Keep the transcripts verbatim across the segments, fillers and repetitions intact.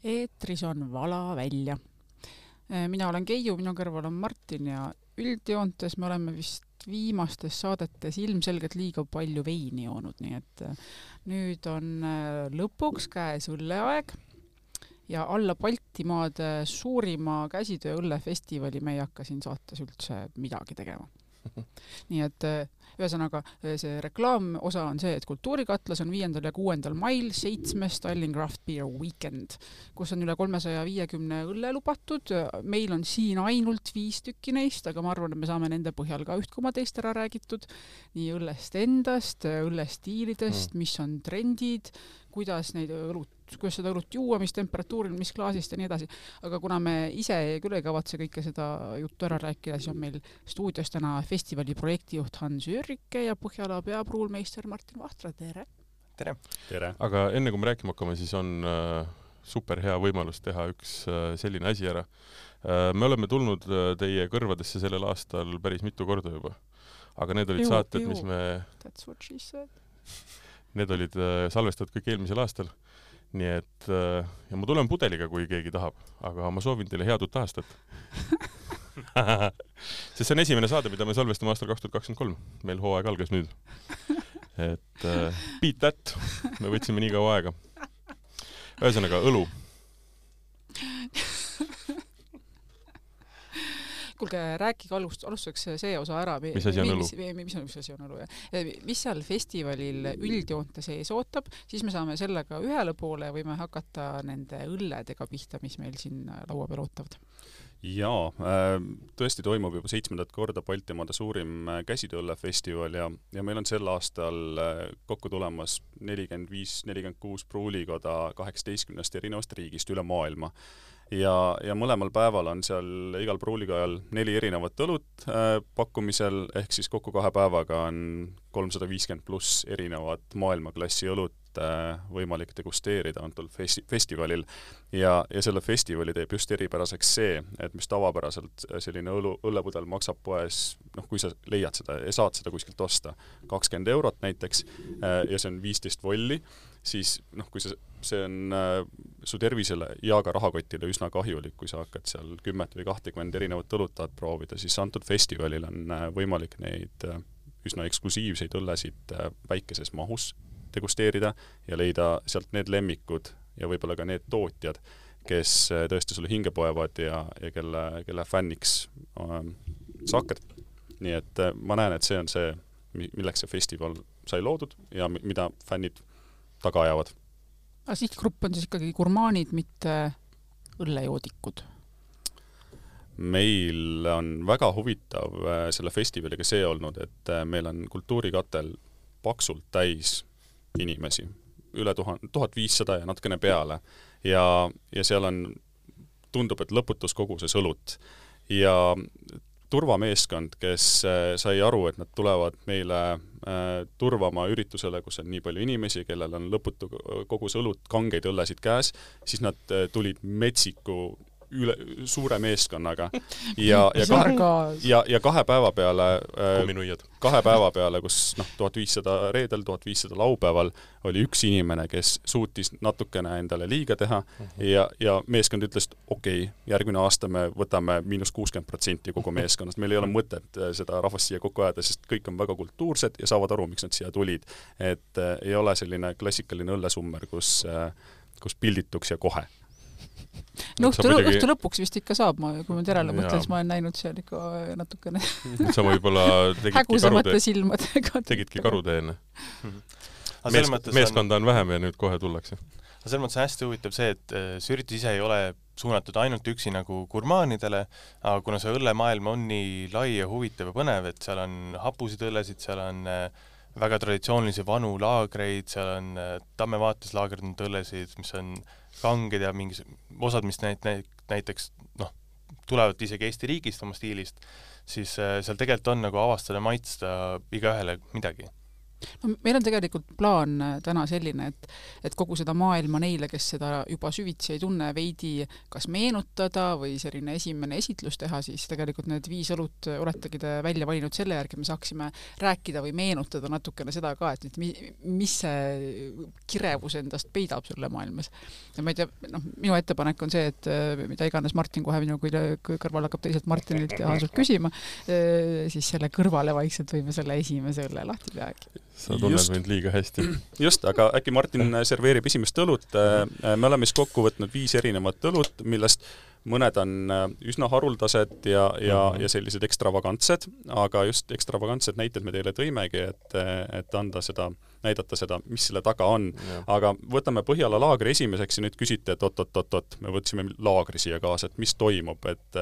Eetris on Vala välja. Mina olen Keiu, minu kõrval on Martin ja üldjoontes me oleme vist viimastes saadetes ilmselgelt liiga palju veini joonud, nii et nüüd on lõpuks käes õlleaeg ja alla Baltimaade suurima käsitöö õllefestivali me ei hakka siin saates üldse midagi tegema. Nii et ühesõnaga see reklaamosa on see, et Kultuurikatlas on viiendal ja kuuendal mail seitsmes Tallinn Craft Beer Weekend, kus on üle kolmesaja viiekümne õlle lubatud. Meil on siin ainult viis tükki neist, aga ma arvan, et me saame nende põhjal ka üht koma teist ära räägitud. Nii õllest endast, õllestiilidest, mis on trendid, kuidas neid õlut, kuidas seda õlut juua, mis temperatuuril, mis klaasist ja nii edasi. Aga kuna me ise küll ei kavatse kõike seda juttu ära rääkida, siis on meil stuudios täna festivali projektijuht Hans Jürrike ja Põhjala peapruulmeister Martin Vahtra. Tere! Tere! Tere! Aga enne kui me rääkima hakkame, siis on äh, super hea võimalus teha üks äh, selline asi ära. Äh, me oleme tulnud äh, teie kõrvadesse sellel aastal päris mitu korda juba. Aga need olid Ju, saated, ju. mis me... That's what she said. Need olid äh, salvestatud kõik eelmisel aastal. Nii et, äh, ja ma tulen pudeliga, kui keegi tahab, aga ma soovin teile head uut aastat. Sest see on esimene saade, mida me salvestame aastal kaks tuhat kakskümmend kolm. Meil hooaeg algas nüüd. Et äh, beat that. Me võtsime nii kaua aega. Ühesõnaga, õlu. Kuulge, rääkige alust, alustuseks see osa ära. Mis asi on õlu? Mis, mis, mis asi on õlu? Ja? Mis seal festivalil üldjoonte sees ootab, siis me saame sellega ühele poole ja võime hakata nende õlledega pihta, mis meil siin laua peal ootavad. Jaa, tõesti toimub juba seitsmendat korda Baltimaade suurim käsitööõllefestival ja, ja meil on sel aastal kokku tulemas nelikümmend viis nelikümmend kuus pruulikoda kaheksateistkümnest erinevast riigist üle maailma. Ja, ja mõlemal päeval on seal igal pruulikajal neli erinevat õlut äh, pakkumisel, ehk siis kokku kahe päevaga on kolmsada viiskümmend pluss erinevat maailmaklassi õlut äh, võimalik degusteerida antul festi- festivalil. Ja, ja selle festivali teeb just eripäraseks see, et mis tavapäraselt selline õlu, õllepudel maksab poes, noh, kui sa leiad seda ja saad seda kuskilt osta, kakskümmend eurot näiteks, äh, ja see on viisteist volli, siis noh, kui see, see on äh, su tervisele ja ka rahakotile üsna kahjulik, kui sa hakkad seal kümmet või kahtekümmend erinevat õlut tahad proovida, siis antud festivalil on äh, võimalik neid äh, üsna eksklusiivseid õllesid äh, väikeses mahus degusteerida ja leida sealt need lemmikud ja võib-olla ka need tootjad, kes äh, tõesti sulle hinge poevad ja, ja kelle, kelle fänniks äh, sa hakkad. Nii et äh, ma näen, et see on see, milleks see festival sai loodud ja mida fännid taga ajavad. Aga sihtgrupp on siis ikkagi gurmaanid, mitte õllejoodikud. Meil on väga huvitav selle festivaliga see olnud, et meil on Kultuurikatel paksult täis inimesi, üle tuhat viissada ja natukene peale. Ja, ja seal on, tundub, et lõputus koguses õlut. Ja turvameeskond, kes sai aru, et nad tulevad meile äh, turvama üritusele, kus on nii palju inimesi, kellel on lõputu kogus õlut, kangeid õllesid käes, siis nad äh, tulid metsiku üle, suure meeskonnaga ja, ja, kahe, ja, ja kahe päeva peale äh, kahe päeva peale, kus noh, tuhat viissada reedel, tuhat viissada laupäeval oli üks inimene, kes suutis natukene endale liiga teha uh-huh. ja, ja meeskond ütles, et okei, okay, järgmine aasta me võtame miinus kuuskümmend protsenti kogu meeskonnast. Meil ei ole mõtet seda rahvast siia kokku ajada, sest kõik on väga kultuursed ja saavad aru, miks nad siia tulid. Et äh, ei ole selline klassikaline õllesummer, kus, äh, kus pildituks ja kohe. No õhtu, muidugi... õhtu lõpuks vist ikka saab, ma, kui ma terale mõtlen, siis ma olen näinud seal ikka natukene sa võib-olla tegidki karude tegidki karuteene. Mees, meeskonda on vähem ja nüüd kohe tullakse. Selles mõttes on hästi huvitav see, et see üritus ise ei ole suunatud ainult üksi nagu gurmaanidele, aga kuna see õllemaailm on nii lai ja huvitav ja põnev, et seal on hapusid õllesid, seal on väga traditsioonilisi vanu laagreid, seal on Tamme vaates laagerdanud õllesid, mis on kanged ja mingis osad, mis näit, näiteks noh, tulevad isegi Eesti riigist oma stiilist, siis seal tegelikult on nagu avastada maitsta igaühele midagi. No, meil on tegelikult plaan täna selline, et, et kogu seda maailma neile, kes seda juba süvitsi ei tunne, veidi kas meenutada või selline esimene esitlus teha, siis tegelikult need viis õlut oletegi te välja valinud selle järgi, me saaksime rääkida või meenutada natukene seda ka, et mis see kirevus endast peidab selle maailmas. Ja ma ei tea, noh, minu ettepanek on see, et mida iganes Martin kohe minu kõrval hakkab teiselt Martinilt ja Hansult küsima, siis selle kõrvale vaikselt võime selle esimese õlle lahti peagi. Sa tunned just mind liiga hästi. Just, aga äkki Martin serveerib esimest õlut. Me oleme siis kokku võtnud viis erinevat õlut, millest mõned on üsna haruldased ja, ja, ja sellised ekstravagantsed, aga just ekstravagantsed näited me teile tõimegi, et, et anda seda, näidata seda, mis selle taga on. Ja. Aga võtame Põhjala laagri esimeseks ja nüüd küsite, et oot-oot-oot, me võtsime laagri siia kaasa, et mis toimub, et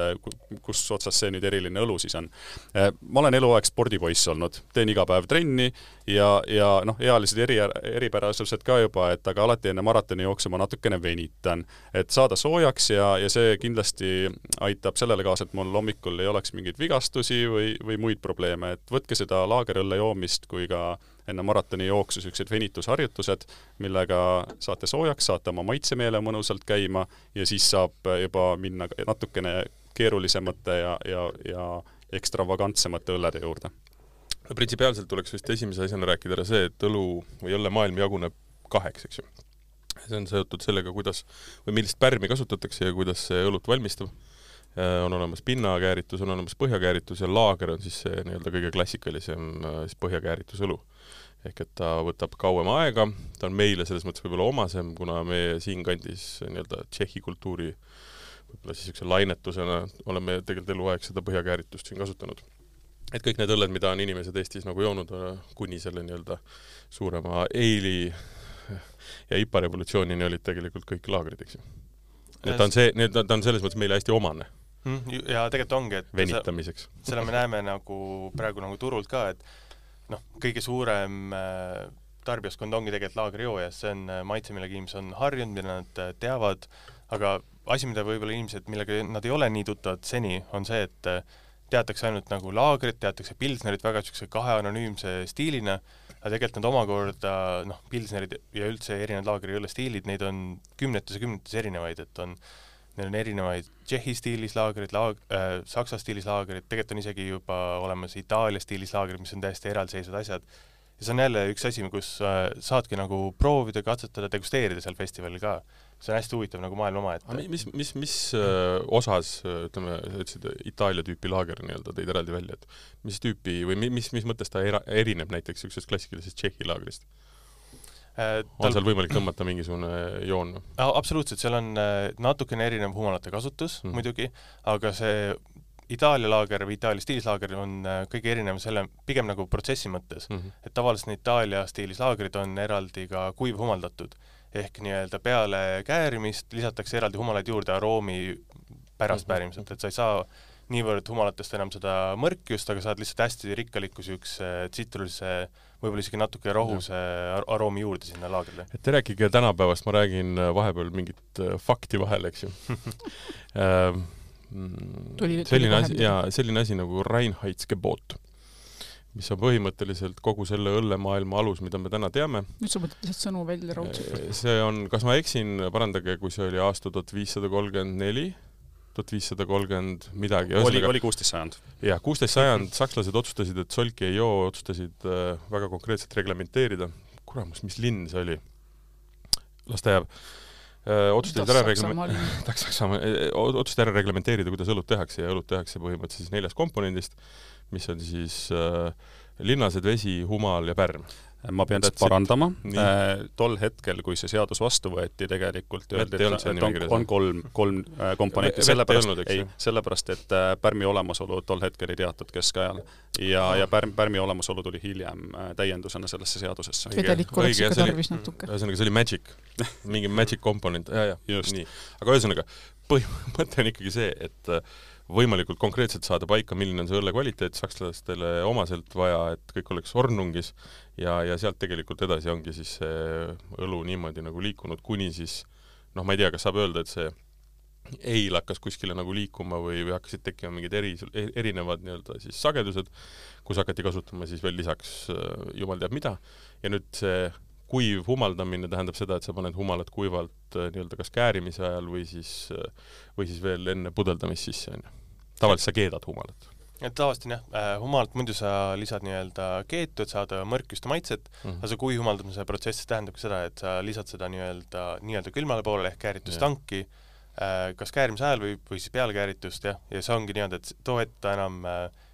kus otsas see nüüd eriline õlu siis on. Ma olen eluaeg spordipoiss olnud, teen iga päev trenni ja, ja noh, ealised eri, eripärasused ka juba, et aga alati enne maratoni jooksu ma natukene venitan, et saada soojaks ja, ja see kindlasti aitab sellele kaasa, et mul hommikul ei oleks mingeid vigastusi või, või muid probleeme, et võtke seda laagerõlle joomist kui ka enne maratoni jooksu sellised venitusharjutused, millega saate soojaks, saate oma maitsemeele mõnusalt käima ja siis saab juba minna natukene keerulisemate ja, ja, ja ekstravagantsemate õllede juurde. Printsipiaalselt tuleks vist esimese asjana rääkida ära see, et õlu või õllemaailm jaguneb kaheks, eks ju. See on seotud sellega, kuidas või millist pärmi kasutatakse ja kuidas see õlut valmistab. On olemas pinnakääritus, on olemas põhjakääritus ja laager on siis see nii-öelda kõige klassikalisem siis põhjakääritus õlu. Ehk et ta võtab kauem aega, ta on meile selles mõttes võib-olla omasem, kuna me siin kandis nii-öelda tšehhi kultuuri võib-olla siis üks lainetusena oleme tegelikult eluaeg seda põhjakääritust siin kasutanud. Et kõik need õlled, mida on inimesed Eestis nagu joonud kuni selle nii-öelda suurema eili ja ipa revolutsioonini olid tegelikult kõik laagrid, eks ju. Nii et ta on, see, ta on selles mõttes meile hästi omane. Ja tegelikult ongi, et venitamiseks. Selle me näeme nagu praegu nagu turult ka, et noh, kõige suurem tarbijaskond ongi tegelikult laagerjoojas, see on maitse, millega inimesed on harjunud, mida nad teavad, aga asi, mida võib-olla inimesed, millega nad ei ole nii tuttavad seni, on see, et teatakse ainult nagu laagrit, teatakse pilsnerit väga siukse kahe anonüümse stiilina, aga tegelikult nad omakorda, noh, pilsnerid ja üldse erinevad laagri õlle stiilid, neid on kümnetes ja kümnetes erinevaid, et on neil on erinevaid Tšehhi stiilis laagrid, laag, äh, Saksa stiilis laagrid, tegelikult on isegi juba olemas Itaalia stiilis laagrid, mis on täiesti eraldiseisvad asjad. Ja see on jälle üks asi, kus äh, saadki nagu proovida, katsetada, degusteerida seal festivalil ka. See on hästi huvitav nagu maailma oma, et... Mis, mis, mis äh, osas, ütleme, ütlesid Itaalia tüüpi laager nii-öelda teid eraldi välja, et mis tüüpi või mis, mis mõttes ta era, erineb näiteks ükses klassikalisest Tšehhi laagrist? Tal... on seal võimalik tõmmata mingisugune joon? Absoluutselt, seal on natukene erinev humalate kasutus mm. muidugi, aga see Itaalia laager või Itaalia stiilis laager on kõige erinev selle pigem nagu protsessi mõttes, mm -hmm. et tavaliselt Itaalia stiilis laagrid on eraldi ka kuiv humaldatud, ehk nii-öelda peale käärimist lisatakse eraldi humalaid juurde aroomi pärast mm -hmm. päärimiselt, et sa ei saa niivõrd humalatest enam seda mõrkjust, aga saad lihtsalt hästi rikkalikku üks tsitrulise võib-olla isegi natuke rohuse aroomi juurde sinna laagrile. Et te rääkige tänapäevast, ma räägin vahepeal mingit fakti vahel, eks ju. tuli, selline, asi, ja, selline asi nagu Reinheitsgebot, mis on põhimõtteliselt kogu selle õllemaailma alus, mida me täna teame. Nüüd sa mõtled lihtsalt sõnu välja raudselt. See on, kas ma eksin, parandage, kui see oli aasta tuhat viissada kolmkümmend neli, tuhat viissada kolmkümmend midagi. Oli, oli kuusteist sajand. Jah, kuusteist sajand sakslased otsustasid, et solki ei joo, otsustasid äh, väga konkreetselt reglementeerida. Kuramus, mis linn see oli? Las ta jääb. Äh, otsustasid ära, reglame... otsustasid ära reglementeerida, kuidas õlut tehakse ja õlut tehakse põhimõtteliselt siis neljast komponendist, mis on siis äh, linnased, vesi, humal ja pärm. Ma pean seda parandama. Äh, tol hetkel, kui see seadus vastu võeti, tegelikult öeldi, et, et on, on kolm, kolm äh, komponenti. Sellepärast, olnud, ei, sellepärast, et äh, pärmi olemasolu tol hetkel ei teatud keskajal. Ja, ja pärm, pärmi olemasolu tuli hiljem äh, täiendusena sellesse seadusesse. Vedelik oleks ikka tarvis natuke. Ühesõnaga, see oli magic. Mingi magic komponent. Ja, ja. Nii. Aga ühesõnaga, põhimõte on ikkagi see, et võimalikult konkreetselt saada paika, milline on see õlle kvaliteet, sakslastele omaselt vaja, et kõik oleks ornungis ja, ja sealt tegelikult edasi ongi siis see õlu niimoodi nagu liikunud, kuni siis, noh, ma ei tea, kas saab öelda, et see eil hakkas kuskile nagu liikuma või, või hakkasid tekkima mingid eri, erinevad nii-öelda siis sagedused, kus hakati kasutama siis veel lisaks jumal teab mida. Ja nüüd see kuiv humaldamine tähendab seda, et sa paned humalad kuivalt nii-öelda kas käärimise ajal või siis, või siis veel enne pudeldamist sisse. Tavaliselt sa keedad humalat. Et tavaliselt jah, humalalt muidu sa lisad nii-öelda keetu, et saada mõrkust ja maitset, mm -hmm. aga see kui humaldamise protsess tähendab ka seda, et sa lisad seda nii-öelda, nii-öelda külmale poolele ehk kääritustanki, kas käärimise ajal või, või siis peale kääritust, jah, ja see ongi nii-öelda, et too etta enam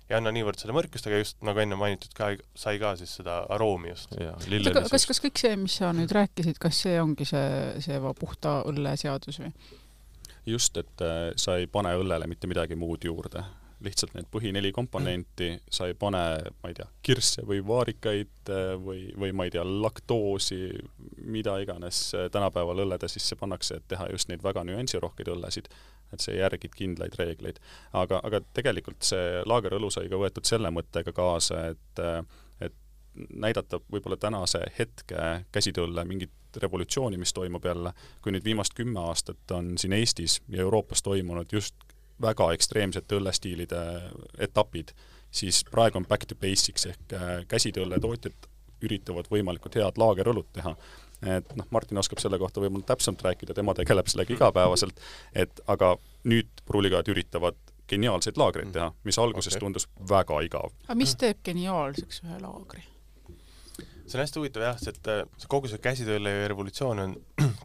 ei anna niivõrd seda mõrkust, aga just nagu enne mainitud ka, sai ka siis seda aroomi just. Kas, kas kõik see, mis sa nüüd rääkisid, kas see ongi see, see puhta õlle seadus või? Just, et sa ei pane õllele mitte midagi muud juurde. Lihtsalt need põhineli komponenti, sa ei pane, ma ei tea, kirsse või vaarikaid või, või ma ei tea, laktoosi, mida iganes tänapäeval õllede sisse pannakse, et teha just neid väga nüansirohkeid õllesid, et see järgid kindlaid reegleid. Aga, aga tegelikult see laagerõlu sai ka võetud selle mõttega kaasa, et, et näidata võib-olla tänase hetke käsitöölle mingit revolutsiooni, mis toimub jälle, kui nüüd viimast kümme aastat on siin Eestis ja Euroopas toimunud just väga ekstreemsete õllestiilide etapid, siis praegu on back to basics ehk käsitöölle tootjad üritavad võimalikult head laagerõlut teha. Et noh, Martin oskab selle kohta võib-olla täpsemalt rääkida, tema tegeleb sellega igapäevaselt, et aga nüüd pruulikajad üritavad geniaalseid laagreid teha, mis alguses okay. tundus väga igav. Aga mis teeb geniaalseks ühe laagri? See on hästi huvitav jah, et kogu see käsitööle revolutsioon on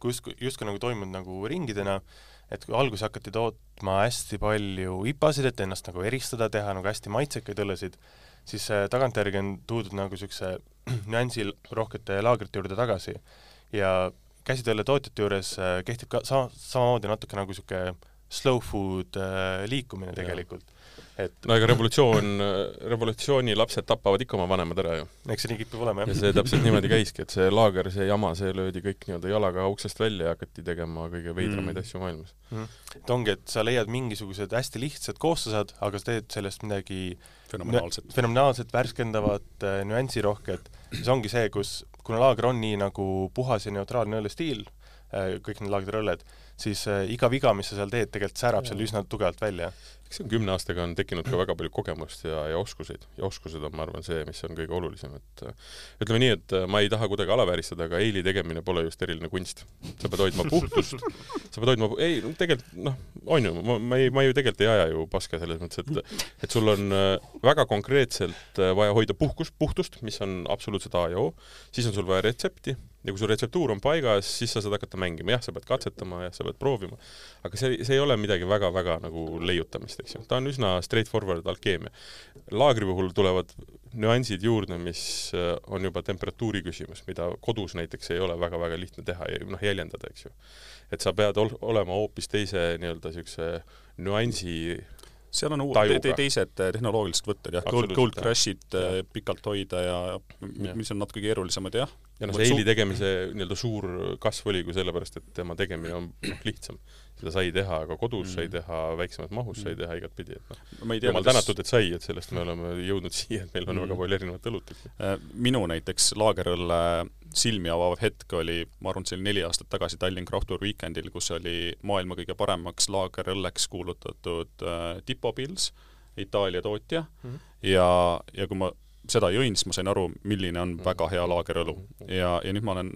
just, just ka nagu toimunud nagu ringidena, et kui alguses hakati tootma hästi palju ipasid, et ennast nagu eristada, teha nagu hästi maitsekaid õllesid, siis tagantjärgi on tuudud nagu siukse nüansil rohkete laagrite juurde tagasi. Ja käsitööle tootjate juures kehtib ka sama, samamoodi natuke nagu siuke slow food liikumine tegelikult. Et no ega revolutsioon, revolutsiooni lapsed tapavad ikka oma vanemad ära ju. Eks see nii kipib olema, jah. Ja see täpselt niimoodi käiski, et see laager, see jama, see löödi kõik nii-öelda jalaga uksest välja ja hakati tegema kõige veidramaid mm. asju maailmas. Mm. Et ongi, et sa leiad mingisugused hästi lihtsad koostused, aga sa teed sellest midagi fenomenaalset, fenomenaalset värskendavat, nüansirohket. siis ongi see, kus, kuna laager on nii nagu puhas ja neutraalne õllestiil, kõik need laagriõlled, siis iga viga, mis sa seal teed, tegelikult särab seal üsna tugevalt välja. Eks see on kümne aastaga on tekkinud ka väga palju kogemust ja, ja oskuseid. Ja oskused on, ma arvan, see, mis on kõige olulisem. Et, ütleme nii, et ma ei taha kuidagi alavääristada, aga eili tegemine pole just eriline kunst. Sa pead hoidma puhtust. Sa pead hoidma... Ei, tegelikult, noh, on ju, ma, ma, ei, ma ju tegelikult ei aja ju paska selles mõttes, et, et sul on väga konkreetselt vaja hoida puhkust, puhtust, mis on absoluutselt A ja O. Siis on sul vaja retsepti. Ja kui su retseptuur on paigas, siis sa saad hakata mängima. Jah, sa pead katsetama ja sa pead proovima. Aga see, see ei ole midagi väga-väga nagu leiutamist, eks ju. Ta on üsna straightforward alkeemia. Laagri puhul tulevad nüansid juurde, mis on juba temperatuuri küsimus, mida kodus näiteks ei ole väga-väga lihtne teha ja noh, jäljendada, eks ju. Et sa pead ol- olema hoopis teise nii-öelda siukse nüansi seal on uud, te, teised tehnoloogilised võtted, jah, gold, gold crush'id ja. Pikalt hoida ja, ja mis on natuke keerulisemad, jah. Ja no see eili tegemise nii-öelda suur kasv oli kui sellepärast, et tema tegemine on lihtsam. Seda sai teha, aga kodus mm. sai teha, väiksemat mahus sai teha igat pidi. Et no. Jumal tänatud, et sai, et sellest me oleme jõudnud siia, et meil on mm. väga palju erinevat õlut. Minu näiteks laagerõlle silmi avav hetk oli, ma arvan, see oli neli aastat tagasi Tallinn Craft Tour Weekendil, kus oli maailma kõige paremaks laagerõlleks kuulutatud äh, Tipo Pils, Itaalia tootja mm. ja, ja kui ma seda jõin, siis ma sain aru, milline on väga hea laagerõlu. Ja, ja nüüd ma olen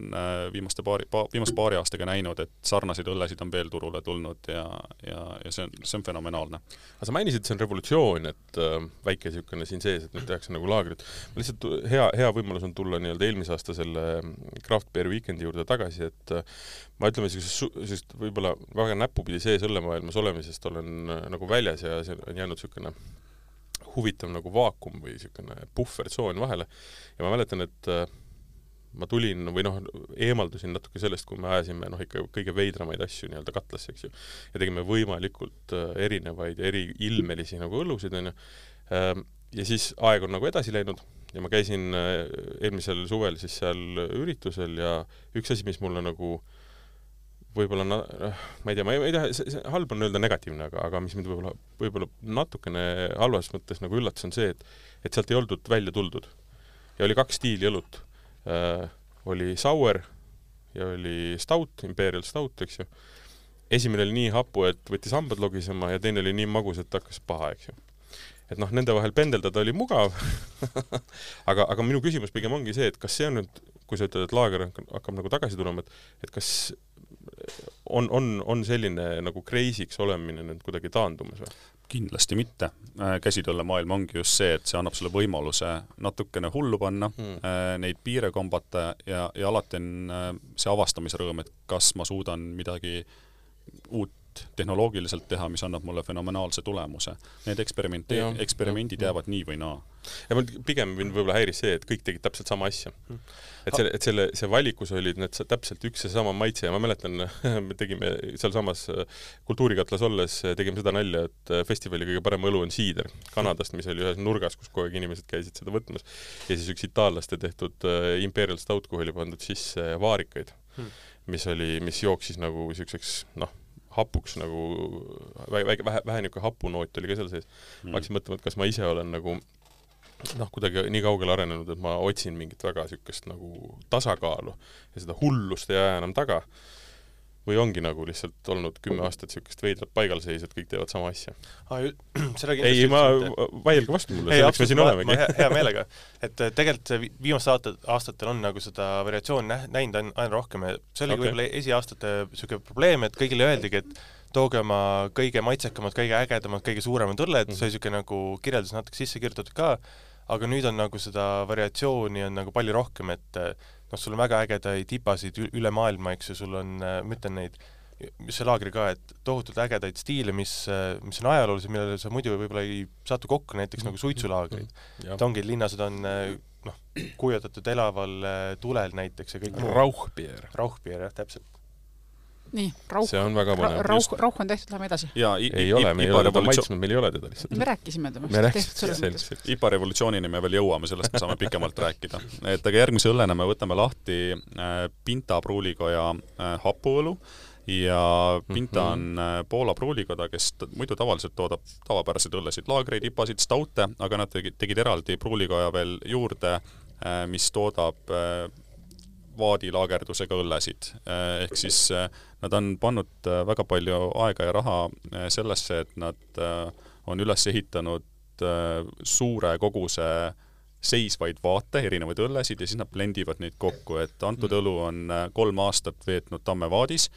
viimaste paari, pa, viimast paari aastaga näinud, et sarnaseid õllesid on veel turule tulnud ja, ja, ja see, on, see on fenomenaalne. Aga sa mainisid, see on revolutsioon, et äh, väike siukene siin sees, et nüüd tehakse nagu laagrit. Lihtsalt hea, hea võimalus on tulla nii-öelda eelmise aasta selle Craft Beer Weekendi juurde tagasi, et äh, ma ütleme, sellist võib-olla väga näpupidi sees õllemaailmas olemisest olen äh, nagu väljas ja see on jäänud siukene huvitav nagu vaakum või siukene puhvertsoon vahele. Ja ma mäletan, et äh, ma tulin või noh, eemaldusin natuke sellest, kui me ajasime noh, ikka kõige veidramaid asju nii-öelda katlasse, eks ju. Ja tegime võimalikult äh, erinevaid ja eri ilmelisi nagu õllusid, on ju. Äh, ja siis aeg on nagu edasi läinud ja ma käisin äh, eelmisel suvel siis seal üritusel ja üks asi, mis mulle nagu võib-olla, ma ei tea, ma ei, ma ei taha, see, see halb on öelda negatiivne, aga, aga mis mind võib-olla, võib-olla natukene halvas mõttes nagu üllatus on see, et, et sealt ei oldud välja tuldud. Ja oli kaks stiili õlut. Äh, oli sour ja oli stout, imperial stout, eks ju. esimene oli nii hapu, et võttis hambad logisema ja teine oli nii magus, et hakkas paha, eks ju. Et noh, nende vahel pendeldada oli mugav, aga, aga minu küsimus pigem ongi see, et kas see on nüüd, kui sa ütled, et laager hakkab nagu tagasi tulema, et, et kas on, on, on selline nagu crazy'ks olemine nüüd kuidagi taandumas või? Kindlasti mitte. Käsitöölle maailm ongi just see, et see annab sulle võimaluse natukene hullu panna, hmm. neid piire kombata ja, ja alati on see avastamise rõõm, et kas ma suudan midagi uut tehnoloogiliselt teha, mis annab mulle fenomenaalse tulemuse. Need eksperimenti, ja, eksperimendid ja, jäävad nii või naa. Ja mul pigem võib-olla häiris see, et kõik tegid täpselt sama asja. Et, selle, et selle, see valikus olid need täpselt üks ja sama maitse ja ma mäletan, me tegime seal samas kultuurikatlas olles, tegime seda nalja, et festivali kõige parem õlu on siider Kanadast, mis oli ühes nurgas, kus kogu aeg inimesed käisid seda võtmas. Ja siis üks itaallaste tehtud Imperial Stout, kuhu oli pandud sisse vaarikaid, hmm. mis oli, mis jooksis nagu selliseks, noh, hapuks nagu, vähe, vähe, vähe niisugune hapunoot oli ka seal sees. Mm. Ma hakkasin mõtlema, et kas ma ise olen nagu noh, kuidagi nii kaugele arenenud, et ma otsin mingit väga niisugust nagu tasakaalu ja seda hullust ei aja enam taga. Või ongi nagu lihtsalt olnud kümme aastat niisugust veidrat paigalseis, et kõik teevad sama asja? Ah, ei, ma vaielge vastu mulle, selleks me siin olemegi. Ma hea meelega, et tegelikult viimased aastatel on nagu seda variatsioon näinud aina rohkem. See oli okay. Võib-olla esiaastate niisugune probleem, et kõigile öeldigi, et tooge oma kõige maitsekamad, kõige ägedamad, kõige suuremad õlled, mm. see on niisugune nagu kirjeldus natuke sisse kirjutatud ka, aga nüüd on nagu seda variatsiooni on nagu palju rohkem, et noh, sul on väga ägedaid tipasid üle maailma, eks ju, sul on, ma ütlen neid, mis see laagri ka, et tohutult ägedaid stiile, mis, mis on ajaloolised, millele sa muidu võib-olla ei saatu kokku, näiteks nagu suitsulaagrid. Et ongi, linnased on noh, kujutatud elaval tulel näiteks ja kõik Rauchbier. Rauchbier, jah, täpselt. Nii, rauh, see on väga põnev. Rauh, rauh on tehtud, läheme edasi. Ja, i, ei i, ole, me ei ole teda maitsnud, meil ei ole teda lihtsalt. Me rääkisime temast. Me rääkisime I P A revolutsioonini me veel jõuame, sellest me saame pikemalt rääkida. Et aga järgmise õllena me võtame lahti Pinta pruulikoja hapuõlu ja Pinta on Poola pruulikoda, kes muidu tavaliselt toodab tavapäraseid õllesid, laagreid, ipasid, staute, aga nad tegid, tegid eraldi pruulikoja veel juurde, mis toodab vaadilaagerdusega õllesid. Ehk siis nad on pannud väga palju aega ja raha sellesse, et nad on üles ehitanud suure koguse seisvaid vaate, erinevaid õllesid ja siis nad blendivad neid kokku, et antud õlu on kolm aastat veetnud Tammevaadis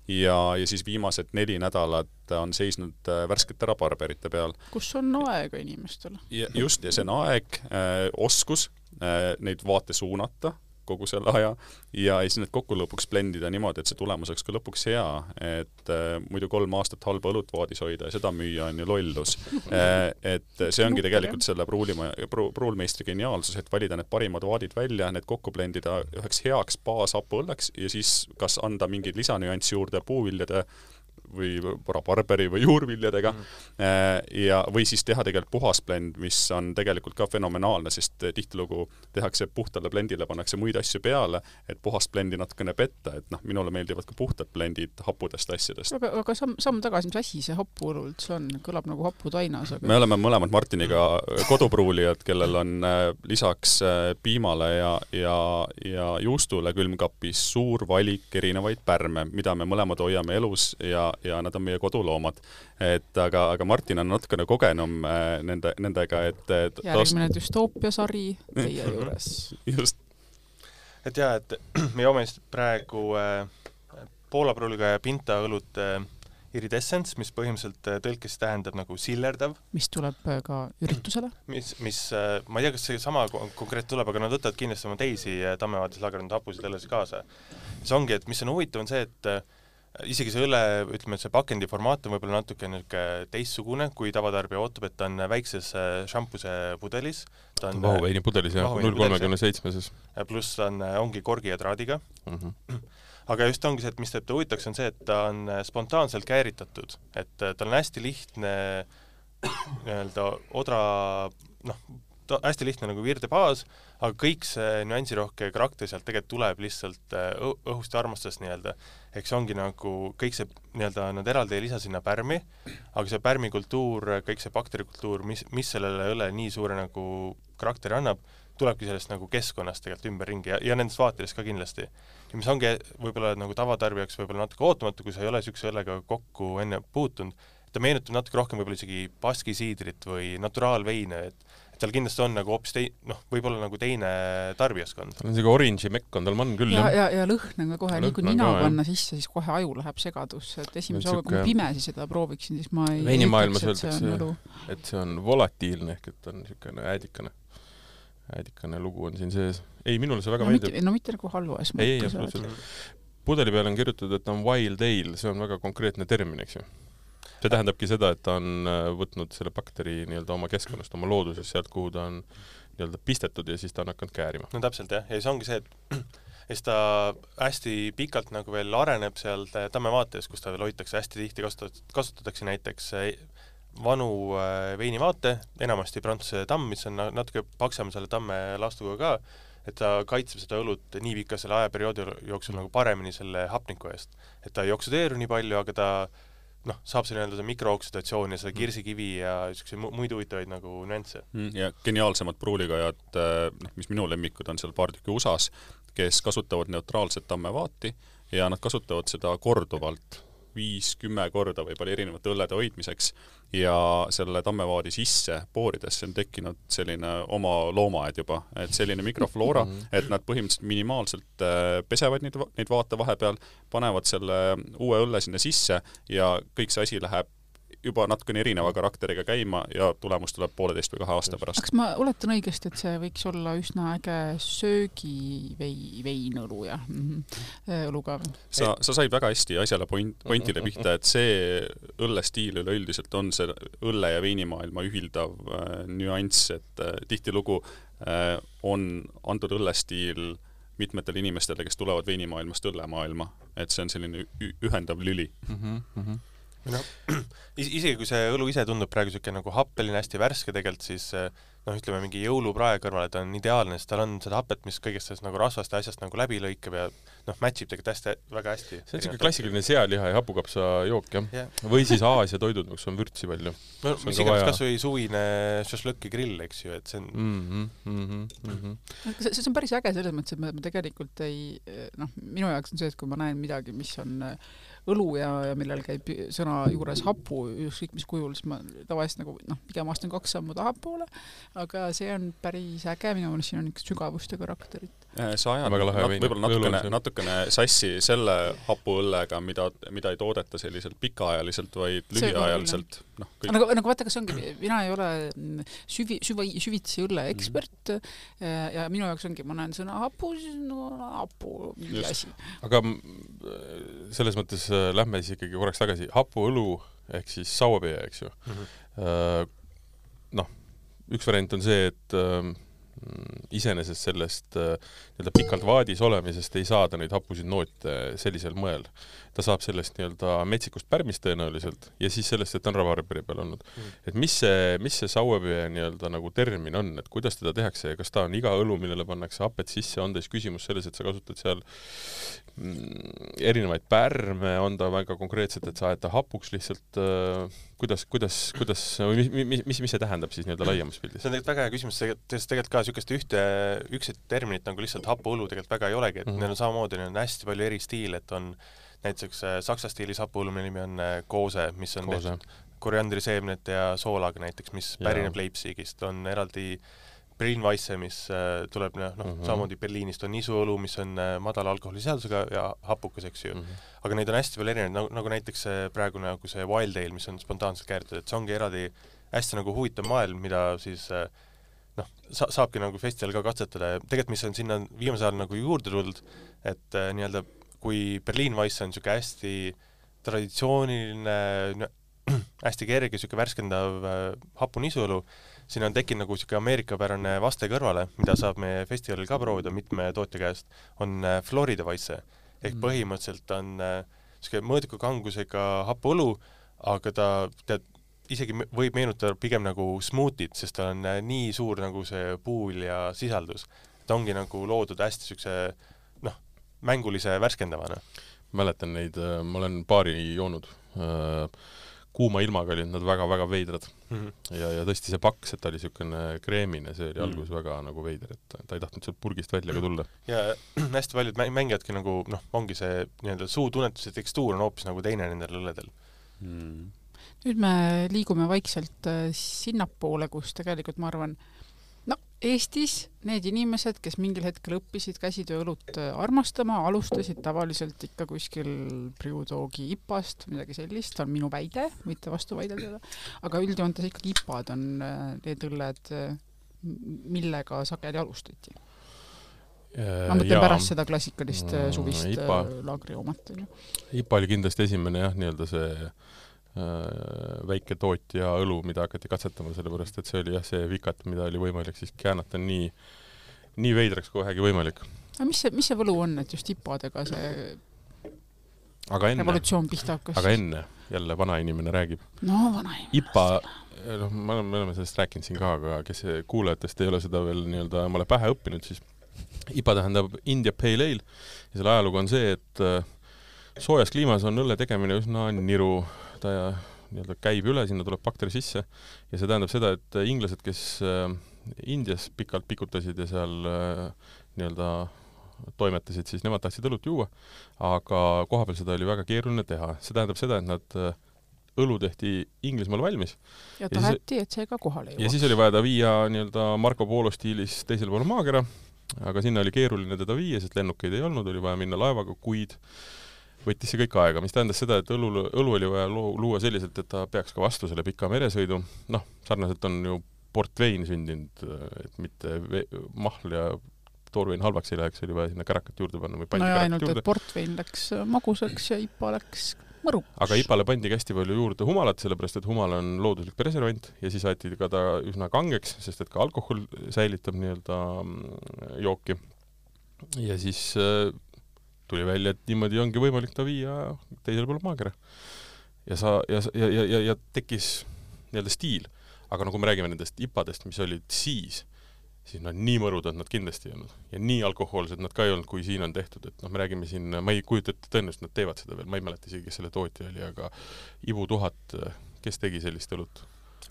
ja, ja siis viimased neli nädalat on seisnud värskete rabarberite peal. Kus on aega inimestele? Ja just, ja see on aeg, oskus neid vaate suunata kogu selle aja ja siis need kokku lõpuks blendida niimoodi, et see tulemus oleks ka lõpuks hea, et äh, muidu kolm aastat halba õlut vaadis hoida ja seda müüa on ju lollus. Äh, et see ongi tegelikult selle pruulima, pru, pruulmeistri geniaalsus, et valida need parimad vaadid välja, need kokku blendida üheks heaks baashapu õlleks ja siis kas anda mingeid lisanüanssi juurde puuviljade või rabarberi või juurviljadega mm. ja, või siis teha tegelikult puhas blend, mis on tegelikult ka fenomenaalne, sest tihtilugu tehakse puhtale blendile, pannakse muid asju peale, et puhast blendi natukene petta, et noh, minule meeldivad ka puhtad blendid happudest asjadest. Aga, aga samm, samm tagasi, mis asi see hapuõlu üldse on? Kõlab nagu haputainas. Aga... Me oleme mõlemad Martiniga kodupruulijad, kellel on lisaks piimale ja, ja, ja juustule külmkapis suur valik erinevaid pärme, mida me mõlemad hoiame elus ja ja nad on meie koduloomad. Et aga, aga Martin on natukene kogenum nende, nendega, et... et järgmine tost... düstoopia sari teie juures. Just. Et jah, et me joome praegu äh, Poola pruuliga ja Pinta õlut äh, iridescence, mis põhimõtteliselt tõlkes tähendab nagu sillerdav. Mis tuleb ka üritusele? Mis, mis äh, ma ei tea, kas see sama konkreet tuleb, aga nad võtavad kindlasti oma teisi Tammevaatis lagernud hapusid õllesid kaasa. See ongi, et mis on huvitav, on see, et isegi see õlle, ütleme, et see pakendi formaat on võib-olla natuke teistsugune, kui tavatarbija ootab, et ta on väikses šampuse pudelis. Vahuveini pudelis, jah, null kolmekümne seitsmeses. Pluss ta on, ongi korgi ja traadiga. Mm-hmm. Aga just ongi see, et mis teeb ta huvitaks, on see, et ta on spontaanselt kääritatud. Et ta on hästi lihtne nii-öelda odra, noh, ta hästi lihtne nagu virdebaas, aga kõik see nüansirohke karakter sealt tegelikult tuleb lihtsalt õhust ja armastust nii-öelda. Eks ongi nagu kõik see nii-öelda, nad eraldi ei lisa sinna pärmi, aga see pärmikultuur, kõik see bakterikultuur, mis, mis sellele õlle nii suure nagu karakteri annab, tulebki sellest nagu keskkonnast tegelikult ümberringi ja, ja nendest vaatelist ka kindlasti. Ja mis ongi võib-olla nagu tavatarbijaks võib-olla natuke ootamatu, kui sa ei ole sükse õllega kokku enne puutunud, ta meenutab natuke rohkem võib-olla isegi baskisiidrit või naturaalveine, et et tal kindlasti on nagu hoopis tei-, noh, võib-olla nagu teine tarbijaskond. Tal on selline orange'i mekk on tal man küll, ja, ja, ja lõhn on ka kohe, nii kui nina panna sisse, siis kohe aju läheb segadusse, et esimese hooga, kui pimesi seda prooviksin, siis ma ei veinimaailmas öeldakse, et see on volatiilne, ehk et on niisugune äädikane, äädikane lugu on siin sees. Ei, minule see väga no, meeldib. Mitte, no mitte nagu halvas mõttes. Ei, ei, absoluutselt. Pudeli peale on kirjutatud, et ta on wild ale, see on väga konkreetne termin, eks ju. See tähendabki seda, et ta on võtnud selle bakteri nii-öelda oma keskkonnast, oma loodusest, sealt kuhu ta on nii-öelda pistetud ja siis ta on hakanud käärima. No täpselt jah, ja see ongi see, et siis ta hästi pikalt nagu veel areneb seal tammevaates, kus ta veel hoitakse hästi tihti, kasutatakse näiteks vanu veinivaate, enamasti Prantsuse tamm, mis on natuke paksem selle tamme laastuga ka, et ta kaitseb seda õlut nii pika selle ajaperioodi jooksul nagu paremini selle hapniku eest. Et ta ei oksudeeru nii palju, aga ta noh, saab see nii-öelda mikrooksidatsioon ja seda kirsikivi ja muidu huvitavaid nagu nüansse. Ja geniaalsemad pruulikajad, mis minu lemmikud on seal paar tükki U S A-s, kes kasutavad neutraalset tammevaati ja nad kasutavad seda korduvalt viis, kümme korda võib-olla erinevate õllede hoidmiseks ja selle tammevaadi sisse pooridesse on tekkinud selline oma loomaed juba, et selline mikrofloora, et nad põhimõtteliselt minimaalselt pesevad neid, neid vaate vahepeal, panevad selle uue õlle sinna sisse ja kõik see asi läheb juba natukene erineva karakteriga käima ja tulemus tuleb pooleteist või kahe aasta pärast. Kas ma oletan õigesti, et see võiks olla üsna äge söögi veinõlu ja mm-hmm. õluga? Sa, sa said väga hästi asjale point, pointile pihta, et see õllestiil üleüldiselt on see õlle ja veinimaailma ühildav äh, nüanss, et äh, tihtilugu äh, on antud õllestiil mitmetele inimestele, kes tulevad veinimaailmast õllemaailma, et see on selline ühendav lüli. Mm-hmm. Mm-hmm. No, isegi kui see õlu ise tundub praegu siuke nagu happeline, hästi värske tegelikult, siis noh, ütleme mingi jõuluprae kõrval, et on ideaalne, sest tal on seda hapet, mis kõigest sellest nagu rasvast ja asjast nagu läbi lõikab ja noh, matchib tegelikult hästi, väga hästi. See on siuke klassikaline sealiha ja hapukapsa jook, jah? Yeah. Või siis Aasia toidud, kus on vürtsi palju. No, mis iganes vaja... kas või suvine šašlõki grill, eks ju, et see on... Mm-hmm, mm-hmm, mm-hmm. See, see on päris äge selles mõttes, et me tegelikult ei... Noh, minu jaoks on see, et kui ma näen midagi, mis on õlu ja, ja millel käib sõna juures hapu, ükskõik mis kujul, siis ma tavaliselt nagu, noh, pigem astan kaks sammu taha poole, aga see on päris äge, minu mõttes siin on ikka sügavust ja karakterit. Sa ajad nat, võib-olla natukene, natukene sassi selle hapuõllega, mida, mida ei toodeta selliselt pikaajaliselt, vaid lühiajaliselt. No, nagu, nagu vaata, kas ongi, mina ei ole süvi, süvi, süvitsi õlle ekspert mm. ja minu jaoks ongi, ma näen sõna hapu, siis no hapu mingi asi. Aga selles mõttes lähme siis ikkagi korraks tagasi. Hapuõlu ehk siis sauapea, eks ju. Mm-hmm. Noh, üks variant on see, et iseenesest sellest nii-öelda pikalt vaadis olemisest ei saada neid hapusid noote sellisel moel. Ta saab sellest nii-öelda metsikust pärmist tõenäoliselt ja siis sellest, et ta on ravarberi peal olnud. Mm. Et mis see, mis see sauapea nii-öelda nagu termin on, et kuidas teda tehakse ja kas ta on iga õlu, millele pannakse hapet sisse, on teis küsimus selles, et sa kasutad seal mm, erinevaid pärme, on ta väga konkreetselt, et sa ajad ta hapuks lihtsalt, äh, kuidas, kuidas, kuidas, mis, mis, mis, mis see tähendab siis nii-öelda laiemas pildis? See on tegelikult väga hea küsimus, sest tegelikult ka niisugust ühte, ükset terminit nagu lihtsalt hapuõlu tegelikult väga ei olegi, et mm-hmm. neil on samamoodi, neil on hästi palju eri stiile, et on näiteks saksa stiilis hapuõlu, mille nimi on koose, mis on koose. Tehtud koriandriseemnet ja soolaga näiteks, mis pärineb Leipzigist, on eraldi Berlin-Weisse, mis tuleb noh, mm-hmm. samamoodi Berliinist on nisuõlu, mis on madala alkoholisisaldusega ja hapukas, eks ju. Mm-hmm. Aga neid on hästi veel erinevaid, nagu, nagu näiteks praegu nagu see Wild Ale, mis on spontaanselt kääritud, et see ongi eraldi hästi nagu huvitav maailm, mida siis noh, sa- saabki nagu festival ka katsetada ja tegelikult mis on sinna viimasel ajal nagu juurde tulnud, et äh, nii-öelda kui Berlin-Weisse on niisugune hästi traditsiooniline, hästi kerge, niisugune värskendav äh, hapunisuõlu, siin on tekkinud nagu niisugune ameerikapärane vaste kõrvale, mida saab meie festivalil ka proovida mitme tootja käest, on äh, Florida Weisse. Ehk mm. põhimõtteliselt on äh, niisugune mõõdiku kangusega hapuõlu, aga ta tead, isegi võib meenutada pigem nagu smoothit, sest ta on äh, nii suur nagu see puul ja sisaldus. Ta ongi nagu loodud hästi niisuguse noh, mängulise värskendavana. Mäletan neid, ma olen paari joonud kuuma ilmaga olid nad väga-väga veidrad mm. -hmm. ja, ja tõesti see paks, et ta oli niisugune kreemine, see oli Mm. alguses väga nagu veider, et ta ei tahtnud sealt purgist välja ka tulla. ja hästi paljud mäng- mängijadki nagu noh, ongi see nii-öelda suutunnetuse tekstuur on hoopis nagu teine nendel õlledel. Mm. nüüd me liigume vaikselt äh, sinnapoole, kus tegelikult ma arvan, no Eestis need inimesed, kes mingil hetkel õppisid käsitööõlut äh, armastama, alustasid tavaliselt ikka kuskil Priudoogi ipast, midagi sellist, on minu väide, võite vastu väidelda, aga üldjoontes ikkagi ipad on äh, need õlled, äh, millega sageli alustati. Ma mõtlen ja, pärast seda klassikalist mm, suvist ipa, laagriomat. ipa oli kindlasti esimene jah, nii-öelda see äh, väike tootja õlu, mida hakati katsetama, sellepärast et see oli jah, see vikat, mida oli võimalik siis käänata nii, nii veidraks kui vähegi võimalik. aga mis see, mis see võlu on, et just ipadega see aga enne, revolutsioon pihta hakkas? aga enne, jälle vanainimene räägib. no vanainimene. ipa, noh, me oleme, me oleme sellest rääkinud siin ka, aga kes kuulajatest ei ole seda veel nii-öelda omale pähe õppinud, siis ipa tähendab India Pale Ale ja selle ajalugu on see, et soojas kliimas on õlle tegemine üsna niru, ta ja, nii-öelda käib üle, sinna tuleb bakteri sisse ja see tähendab seda, et inglased, kes Indias pikalt pikutasid ja seal nii-öelda toimetasid, siis nemad tahtsid õlut juua, aga kohapeal seda oli väga keeruline teha. See tähendab seda, et nad õlu tehti Inglismaal valmis. Ja taheti, et see ka kohale jõuaks. Ja siis oli vaja ta viia nii-öelda Marco Polo stiilis teisel pool maakera, aga sinna oli keeruline teda viia, sest lennukeid ei olnud, oli vaja minna laevaga, kuid võttis see kõik aega, mis tähendas seda, et õlu, õlu oli vaja luua selliselt, et ta peaks ka vastu selle pika meresõidu. Noh, sarnaselt on ju portvein sündinud, et mitte mahl ja toorvein halvaks ei läheks, oli vaja sinna kärakat juurde panna või pandi no ja kärakat ainult, juurde. et portvein läks magusaks ja ipa läks mõruks. Aga ipale pandi hästi palju juurde humalat, sellepärast et humal on looduslik preservant ja siis aeti ka ta üsna kangeks, sest et ka alkohol säilitab nii-öelda jooki. Ja siis äh, tuli välja, et niimoodi ongi võimalik ta viia teisel pool maakera. Ja, sa, ja, ja, ja, ja tekkis nii-öelda stiil. Aga no kui me räägime nendest ipadest, mis olid siis, siis nad nii mõrud, et nad kindlasti ei olnud. Ja nii alkohoolsed nad ka ei olnud, kui siin on tehtud. Et noh, me räägime siin, ma ei kujuta ette tõenäoliselt, nad teevad seda veel. Ma ei mäleta isegi, kes selle tootja oli, aga Ibu tuhat, kes tegi sellist õlut?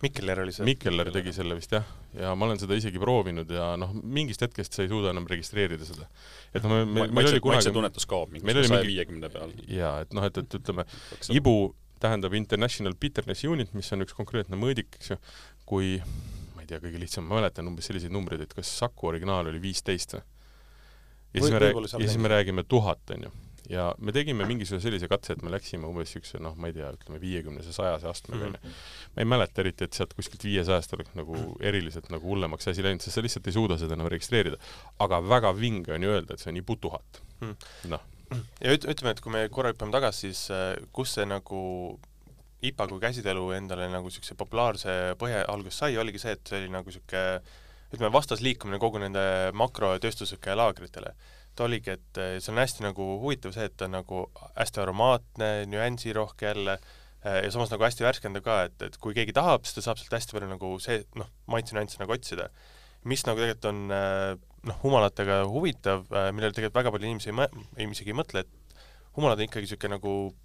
Mikkeller oli see. Mikkeller tegi selle vist, jah. Ja ma olen seda isegi proovinud ja noh, mingist hetkest sa ei suuda enam registreerida seda. Et no, me, me, ma, maitse, kunagi... maitse tunnetus kaob mingi saja viiekümne peal. Jaa, et noh, et, et ütleme, Ibu tähendab International Bitterness Unit, mis on üks konkreetne mõõdik, eks ju, kui ma ei tea, kõige lihtsam, ma mäletan umbes selliseid numbreid, et kas Saku originaal oli viisteist või? Ja siis, me, rääg... ja siis me räägime tuhat, on ju. Ja me tegime mingisuguse sellise katse, et me läksime umbes üks, noh, ma ei tea, ütleme viiekümnese sajase astmega. Mm -hmm. Ma ei mäleta eriti, et sealt kuskilt viiesajast oleks nagu eriliselt nagu hullemaks asi läinud, sest sa lihtsalt ei suuda seda enam registreerida. Aga väga vinge on ju öelda, et see on Ibu tuhat. Mm. Noh. Ja üt, ütleme, et kui me korra hüppame tagasi, siis kus see nagu ipa kui käsitelu endale nagu siukse populaarse põhja algus sai, oligi see, et see oli nagu siuke, ütleme, vastasliikumine kogu nende makrotööstuslike laagritele. Ta oligi, et see on hästi nagu huvitav see, et ta on nagu hästi aromaatne, nüansirohke jälle ja samas nagu hästi värskendav ka, et, et kui keegi tahab, siis ta saab sealt hästi palju nagu see, noh, maitse nüansse nagu otsida. Mis nagu tegelikult on noh, humalatega huvitav, millele tegelikult väga palju inimesi ei, mõ ei isegi ei mõtle, et humalad on ikkagi siuke nagu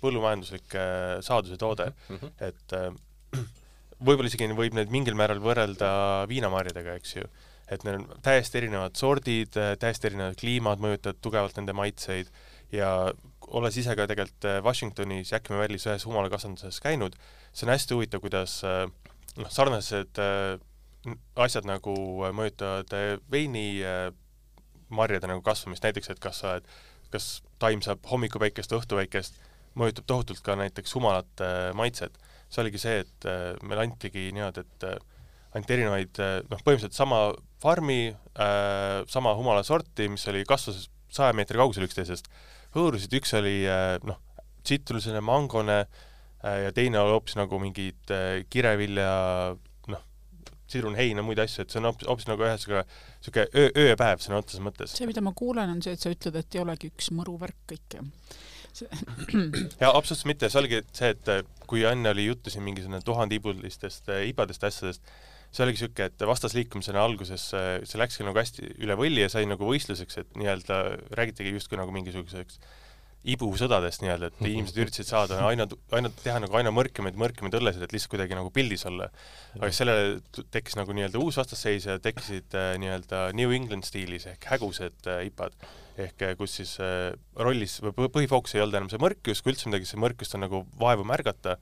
põllumajanduslik saaduse toode, mm -hmm. et võib-olla isegi võib need mingil määral võrrelda viinamarjadega, eks ju, et neil on täiesti erinevad sordid, täiesti erinevad kliimad mõjutavad tugevalt nende maitseid ja olles ise ka tegelikult Washingtonis Yakima Valley's ühes humalakasvanduses käinud, see on hästi huvitav, kuidas noh, sarnased asjad nagu mõjutavad veini marjade nagu kasvamist, näiteks, et kas, sa, et kas taim saab hommikupäikest, õhtupäikest, mõjutab tohutult ka näiteks humalate maitset. See oligi see, et meil antigi niimoodi, et anti erinevaid, noh, põhimõtteliselt sama farmi, äh, sama humala sorti, mis oli kasvas saja meetri kaugusel üksteisest. Hõõrusid üks oli noh, tsitruline, mangone äh, ja teine oli hoopis nagu mingid äh, kirevilja, noh, sidrunheina, muid asju, et see on hoopis, hoopis nagu ühesega siuke öö, öö ja päev sõna otseses mõttes. See, mida ma kuulen, on see, et sa ütled, et ei olegi üks mõruvärk kõik. See... ja absoluutselt mitte, see oligi see, et kui enne oli juttu siin mingisugune tuhandibulistest ibadest asjadest, see oligi siuke, et vastasliikumisena alguses see läkski nagu hästi üle võlli ja sai nagu võistluseks, et nii-öelda räägitigi justkui nagu mingisuguseks ibusõdadest nii-öelda, et inimesed üritasid saada aina, aina teha nagu aina mõrkemaid, mõrkemaid õllesid, et lihtsalt kuidagi nagu pildis olla. Aga sellele tekkis nagu nii-öelda uus vastasseis ja tekkisid äh, nii-öelda New England stiilis ehk hägused äh, ipad. Ehk äh, kus siis äh, rollis või põhifookus ei olnud enam see mõrkus, kui üldse midagi, see mõrkust on nagu vaevu märgata,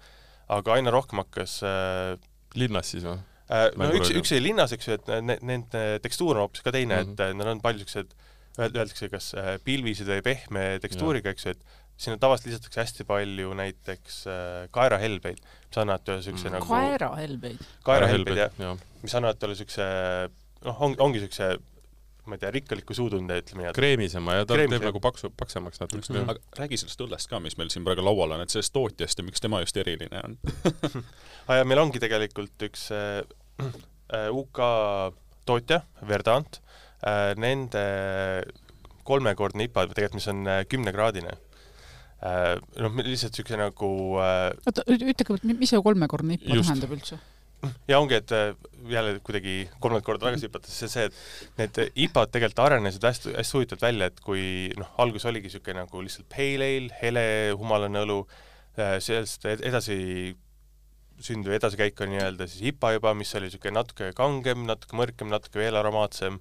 aga aina rohkem hakkas äh, linnas siis või? Äh, no üks, üks oli linnas, eks ju, et nende tekstuur on hoopis ka teine, mm -hmm. et nad on palju sellised öeldakse kas pilvised või pehme tekstuuriga, eks ju, et sinna tavaliselt lisatakse hästi palju näiteks äh, kaerahelbeid, mis annavad ühe sükse mm. nagu... Kaerahelbeid? Kaerahelbeid, jah. Ja. Mis annavad ühe sükse, noh, on, ongi sükse, ma ei tea, rikkaliku suutunde, ütleme nii. Kreemisema ja ta Kreemisem. teeb nagu paksu, paksemaks natuke. Mm -hmm. Aga räägi sellest õllest ka, mis meil siin praegu laual on, et sellest tootjast ja miks tema just eriline on? ah, ja meil ongi tegelikult üks äh, U K tootja, Verdant, nende kolmekordne I P A, tegelikult mis on kümnekraadine. Noh, lihtsalt sükse nagu... Oota, ütlege, mis see kolmekordne I P A Just. tähendab üldse? Ja ongi, et jälle kuidagi kolmandat korda tagasi hüpates, see see, et need I P A-d tegelikult arenesid hästi, hästi huvitavalt välja, et kui noh, algus oligi sükse nagu lihtsalt pale ale, hele, humalane õlu, sellest edasi sünd või edasikäik on nii-öelda siis I P A juba, mis oli sükse natuke kangem, natuke mõrkem, natuke veel aromaatsem.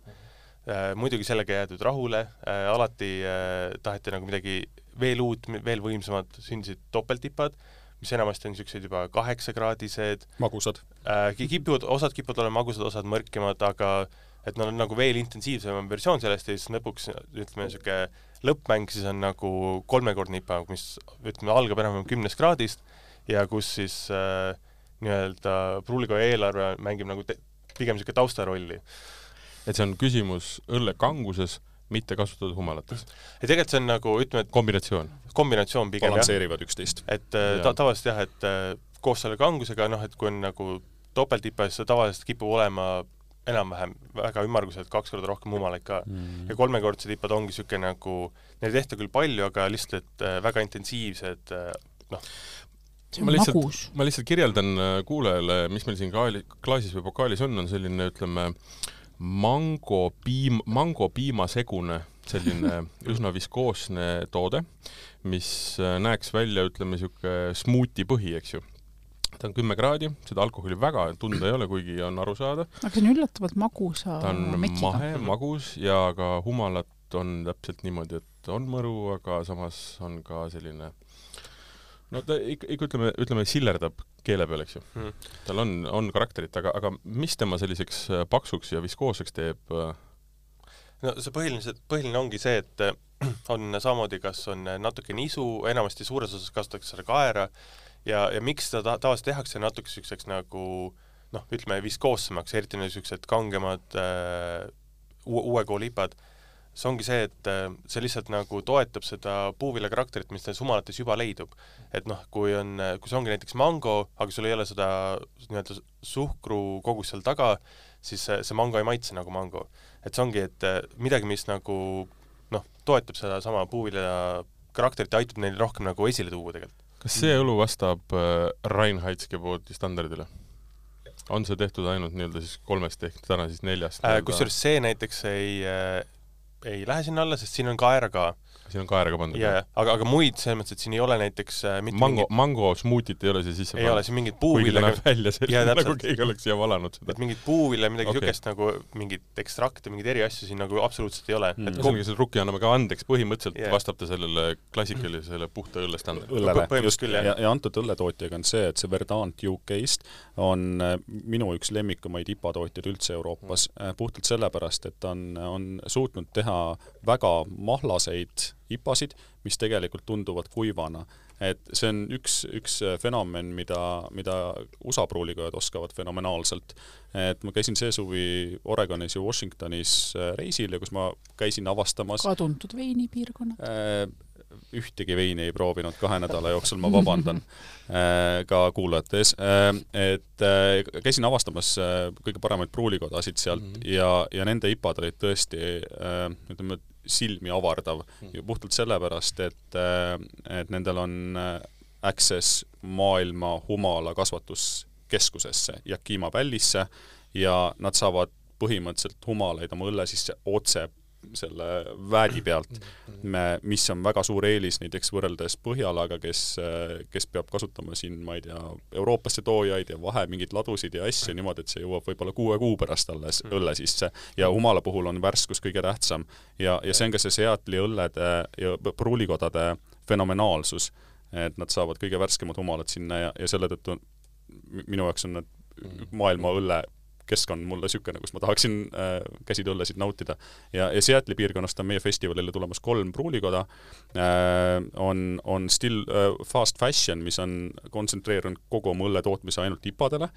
Äh, muidugi sellega jäädud rahule, äh, alati äh, taheti nagu midagi veel uut, veel võimsamad, sündisid topeltipad, mis enamasti on niisugused juba kaheksakraadised. Magusad. Äh, kipuvad, osad kipuvad olema magusad, osad mõrkemad, aga et nad on nagu veel intensiivsem versioon sellest ja siis lõpuks, ütleme, niisugune lõppmäng siis on nagu kolmekordne I P A, mis ütleme, algab enam kümnest kraadist ja kus siis äh, nii-öelda pruuliga eelarve mängib nagu te, pigem niisugune taustarolli. Et see on küsimus õlle kanguses, mitte kasutatud humalates. Ja tegelikult see on nagu, ütleme, et kombinatsioon. Kombinatsioon pigem, balansseerivad üksteist. Et ta, tavaliselt jah, et koos selle kangusega, noh, et kui on nagu topeltipa, siis tavaliselt kipub olema enam-vähem väga ümmarguselt kaks korda rohkem humalaid ka. Mm. Ja kolmekordsed ipad ongi siuke nagu, neil tehta küll palju, aga lihtsalt et väga intensiivsed, noh, ma lihtsalt, ma lihtsalt kirjeldan kuulajale, mis meil siin kaali, klaasis või pokaalis on, on selline, ütleme, mango piim, mango piimasegune, selline üsna viskoosne toode, mis näeks välja, ütleme, siuke smuuti põhi, eks ju. Ta on kümme kraadi, seda alkoholi väga tunda ei ole, kuigi on aru saada. Aga see on üllatavalt magusa ta on mekiga. mahe, magus ja ka humalat on täpselt niimoodi, et on mõru, aga samas on ka selline no ta ikka, ikka ütleme, ütleme sillerdab keele peal, eks ju. Hmm. Tal on, on karakterit, aga, aga mis tema selliseks paksuks ja viskooseks teeb? No see põhiline, põhiline ongi see, et on samamoodi, kas on natuke nisu, enamasti suures osas kasutatakse seda kaera ja, ja miks seda ta, tavaliselt tehakse natuke sükseks nagu, noh, ütleme viskoossemaks, eriti niisugused kangemad äh, uue koolipad. See ongi see, et see lihtsalt nagu toetab seda puuvilla karakterit, mis nendes humalates juba leidub. Et noh, kui on, kui see ongi näiteks mango, aga sul ei ole seda nii-öelda suhkru kogus seal taga, siis see mango ei maitse nagu mango. Et see ongi, et midagi, mis nagu noh, toetab seda sama puuvilla karakterit ja aitab neil rohkem nagu esile tuua tegelikult. Kas see õlu vastab Reinheitske pooti standardile? On see tehtud ainult nii-öelda siis kolmest ehk täna siis neljast? Äh, kusjuures see näiteks ei ei lähe sinna alla, sest siin on kaera ka. Siin on kaera ka pandud. Ja, aga, aga muid selles mõttes, et siin ei ole näiteks äh, mitte mango, mingid... mango smuutit ei ole see sisse ei ole, siin mingid puuvilla... Kuigi ta näeb välja selline, ja, nagu keegi oleks siia valanud seda. Et mingid puuvilla, midagi okay. Sükest nagu mingid ekstrakte, mingid eri asju siin nagu absoluutselt ei ole. Mm. Et kogu... see rukki anname ka andeks, põhimõtteliselt yeah. vastab ta sellele klassikalisele puhta õlle standardile. Õllele, just, ja, ja antud õlletootjaga on see, et see Verdant U K-st on minu üks lemmikumaid I P A tootjad üldse Euroopas, mm. puhtalt sellepärast, et on, on suutnud teha väga mahlaseid I P A-sid, mis tegelikult tunduvad kuivana. Et see on üks, üks fenomen, mida, mida U S A pruulikojad oskavad fenomenaalselt. Et ma käisin see suvi Oregonis ja Washingtonis reisil ja kus ma käisin avastamas... Ka tuntud veinipiirkonnad? Äh, ühtegi veini ei proovinud kahe nädala jooksul, ma vabandan äh, ka kuulajates. Äh, et äh, käisin avastamas äh, kõige paremaid pruulikodasid sealt mm -hmm. ja, ja nende I P A-d olid tõesti äh, ütleme, silmi avardav. Ja puhtalt sellepärast, et, et nendel on access maailma humala kasvatuskeskusesse Yakima Valley'sse ja nad saavad põhimõtteliselt humalaid oma õlle sisse otse selle väädi pealt, me, mis on väga suur eelis näiteks võrreldes Põhjalaga, kes, kes peab kasutama siin, ma ei tea, Euroopasse toojaid ja vahe mingeid ladusid ja asju niimoodi, et see jõuab võib-olla kuue kuu pärast alles õlle sisse ja humala puhul on värskus kõige tähtsam ja, ja see on ka see Seatli õllede ja pruulikodade fenomenaalsus, et nad saavad kõige värskemad humalad sinna ja, ja selle tõttu minu jaoks on need maailma õlle keskkond mulle sükene, kus ma tahaksin äh, käsitööllesid nautida. Ja, ja Seatli piirkonnast on meie festivalile tulemas kolm pruulikoda. Äh, on, on Still äh, Fast Fashion, mis on kontsentreerunud kogu oma õlle tootmise ainult ipadele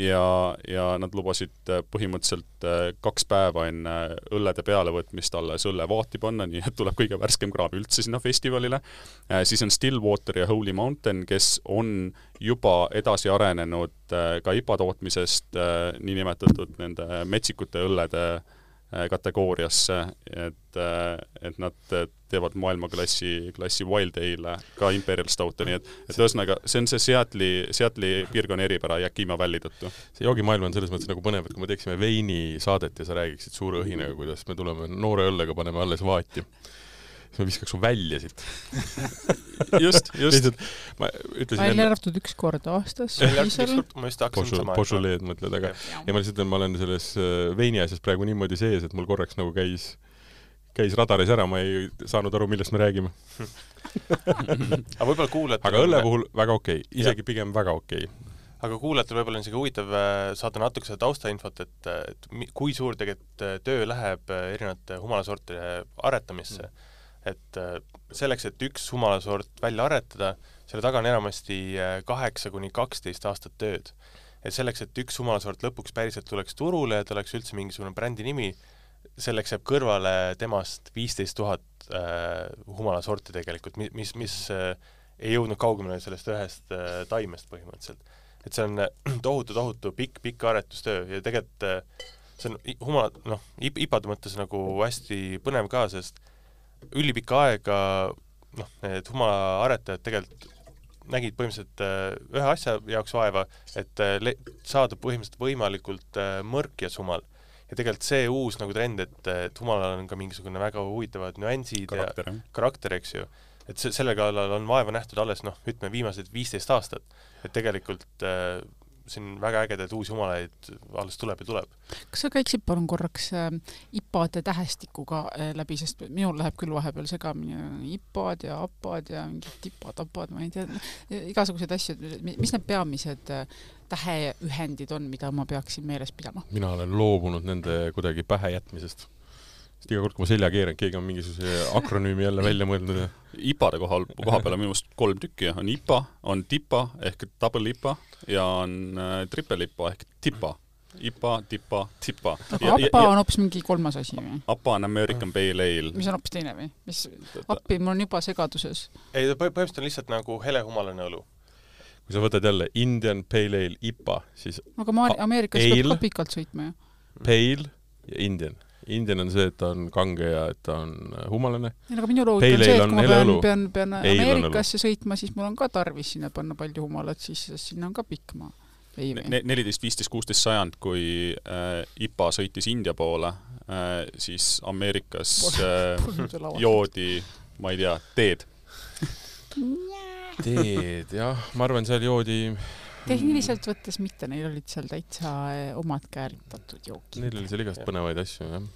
ja, ja nad lubasid äh, põhimõtteliselt äh, kaks päeva enne õllede pealevõtmist alles õlle vaati panna, nii et tuleb kõige värskem kraam üldse sinna festivalile. Äh, siis on Stillwater ja Holy Mountain, kes on juba edasi arenenud äh, ka ipa tootmisest äh, nii nimetatud nende metsikute õllede äh, kategooriasse, et, äh, et nad teevad maailmaklassi klassi Wild Ale ka Imperial Stouta, nii et, et ühesõnaga, see on see Seatli, Seatli piirkonna eripära Yakima Valley tõttu. See joogimaailm on selles mõttes nagu põnev, et kui me teeksime veini saadet ja sa räägiksid suure õhinaga, kuidas me tuleme noore õllega, paneme alles vaati. Siis ma viskaks su välja siit. just, just. ma ütlesin välja arvatud üks kord aastas. ma just hakkasin sama. Požuleed mõtled, aga ja ma lihtsalt, ma olen selles veini asjas praegu niimoodi sees, et mul korraks nagu käis, käis radaris ära, ma ei saanud aru, millest me räägime. aga võib-olla kuulete... Aga õlle puhul väga okei, okay. Isegi ja. Pigem väga okei. Okay. Aga kuulajatel võib-olla on isegi huvitav saada natuke seda taustainfot, et, et kui suur tegelikult töö läheb erinevate humalasortide aretamisse. Mm. Et selleks, et üks humalasort välja aretada, selle taga on enamasti kaheksa kuni kaksteist aastat tööd. Et selleks, et üks humalasort lõpuks päriselt tuleks turule ja ta oleks üldse mingisugune brändi nimi, selleks jääb kõrvale temast viisteist tuhat äh, humalasorti tegelikult, mis, mis äh, ei jõudnud kaugemale sellest ühest äh, taimest põhimõtteliselt. Et see on tohutu, tohutu pikk, pikk aretustöö ja tegelikult äh, see on humala, noh, ipade mõttes nagu hästi põnev ka, sest ülipika aega noh, need humalaaretajad tegelikult nägid põhimõtteliselt ühe asja jaoks vaeva, et saada põhimõtteliselt võimalikult mõrkjas humal. Ja tegelikult see uus nagu trend, et, et humalal on ka mingisugune väga huvitavad nüansid karakter, ja karakter, eks ju. Et se selle kallal on vaeva nähtud alles, noh, ütleme viimased viisteist aastat. Et tegelikult äh, siin väga ägedaid uusi humalaid alles tuleb ja tuleb. Kas sa käiksid palun korraks äh, ipade tähestikuga äh, läbi, sest minul läheb küll vahepeal segamini ipad ja apad ja mingid tipad, apad, ma ei tea, igasugused asjad, mis need peamised äh, täheühendid on, mida ma peaksin meeles pidama? Mina olen loobunud nende kuidagi pähe jätmisest. Sest iga kord, kui ma selja keeran, keegi on mingisuguse akronüümi jälle välja mõeldnud. Ja... Ipade kohal, koha peale minu meelest kolm tükki. On IPA, on TIPA ehk double IPA ja on äh, triple IPA ehk TIPA. IPA, TIPA, TIPA. Aga APA on hoopis mingi kolmas asi või? APA on American Pale Ale. Mis on hoopis teine või? Mis appi mul on juba segaduses? Ei, põhimõtteliselt on lihtsalt nagu helehumalane õlu. Kui sa võtad jälle Indian Pale Ale IPA, siis... Aga ma Ameerikas peab ka pikalt sõitma ju. Pale ja Indian. Indian on see, et ta on kange ja et ta on humalane. Ja, aga minu loogika on see, et kui ma pean, pean, pean Ameerikasse sõitma, siis mul on ka tarvis sinna panna palju humalat, siis sinna on ka pikk maa. neliteist, viisteist, kuusteist sajand, kui äh, IPA sõitis India poole, äh, siis Ameerikas äh, joodi, ma ei tea, teed. Teed, jah. Ma arvan, seal joodi... Tehniliselt võttes mitte, neil olid seal täitsa omad kääritatud jookid. Neil oli seal igast põnevaid asju, jah.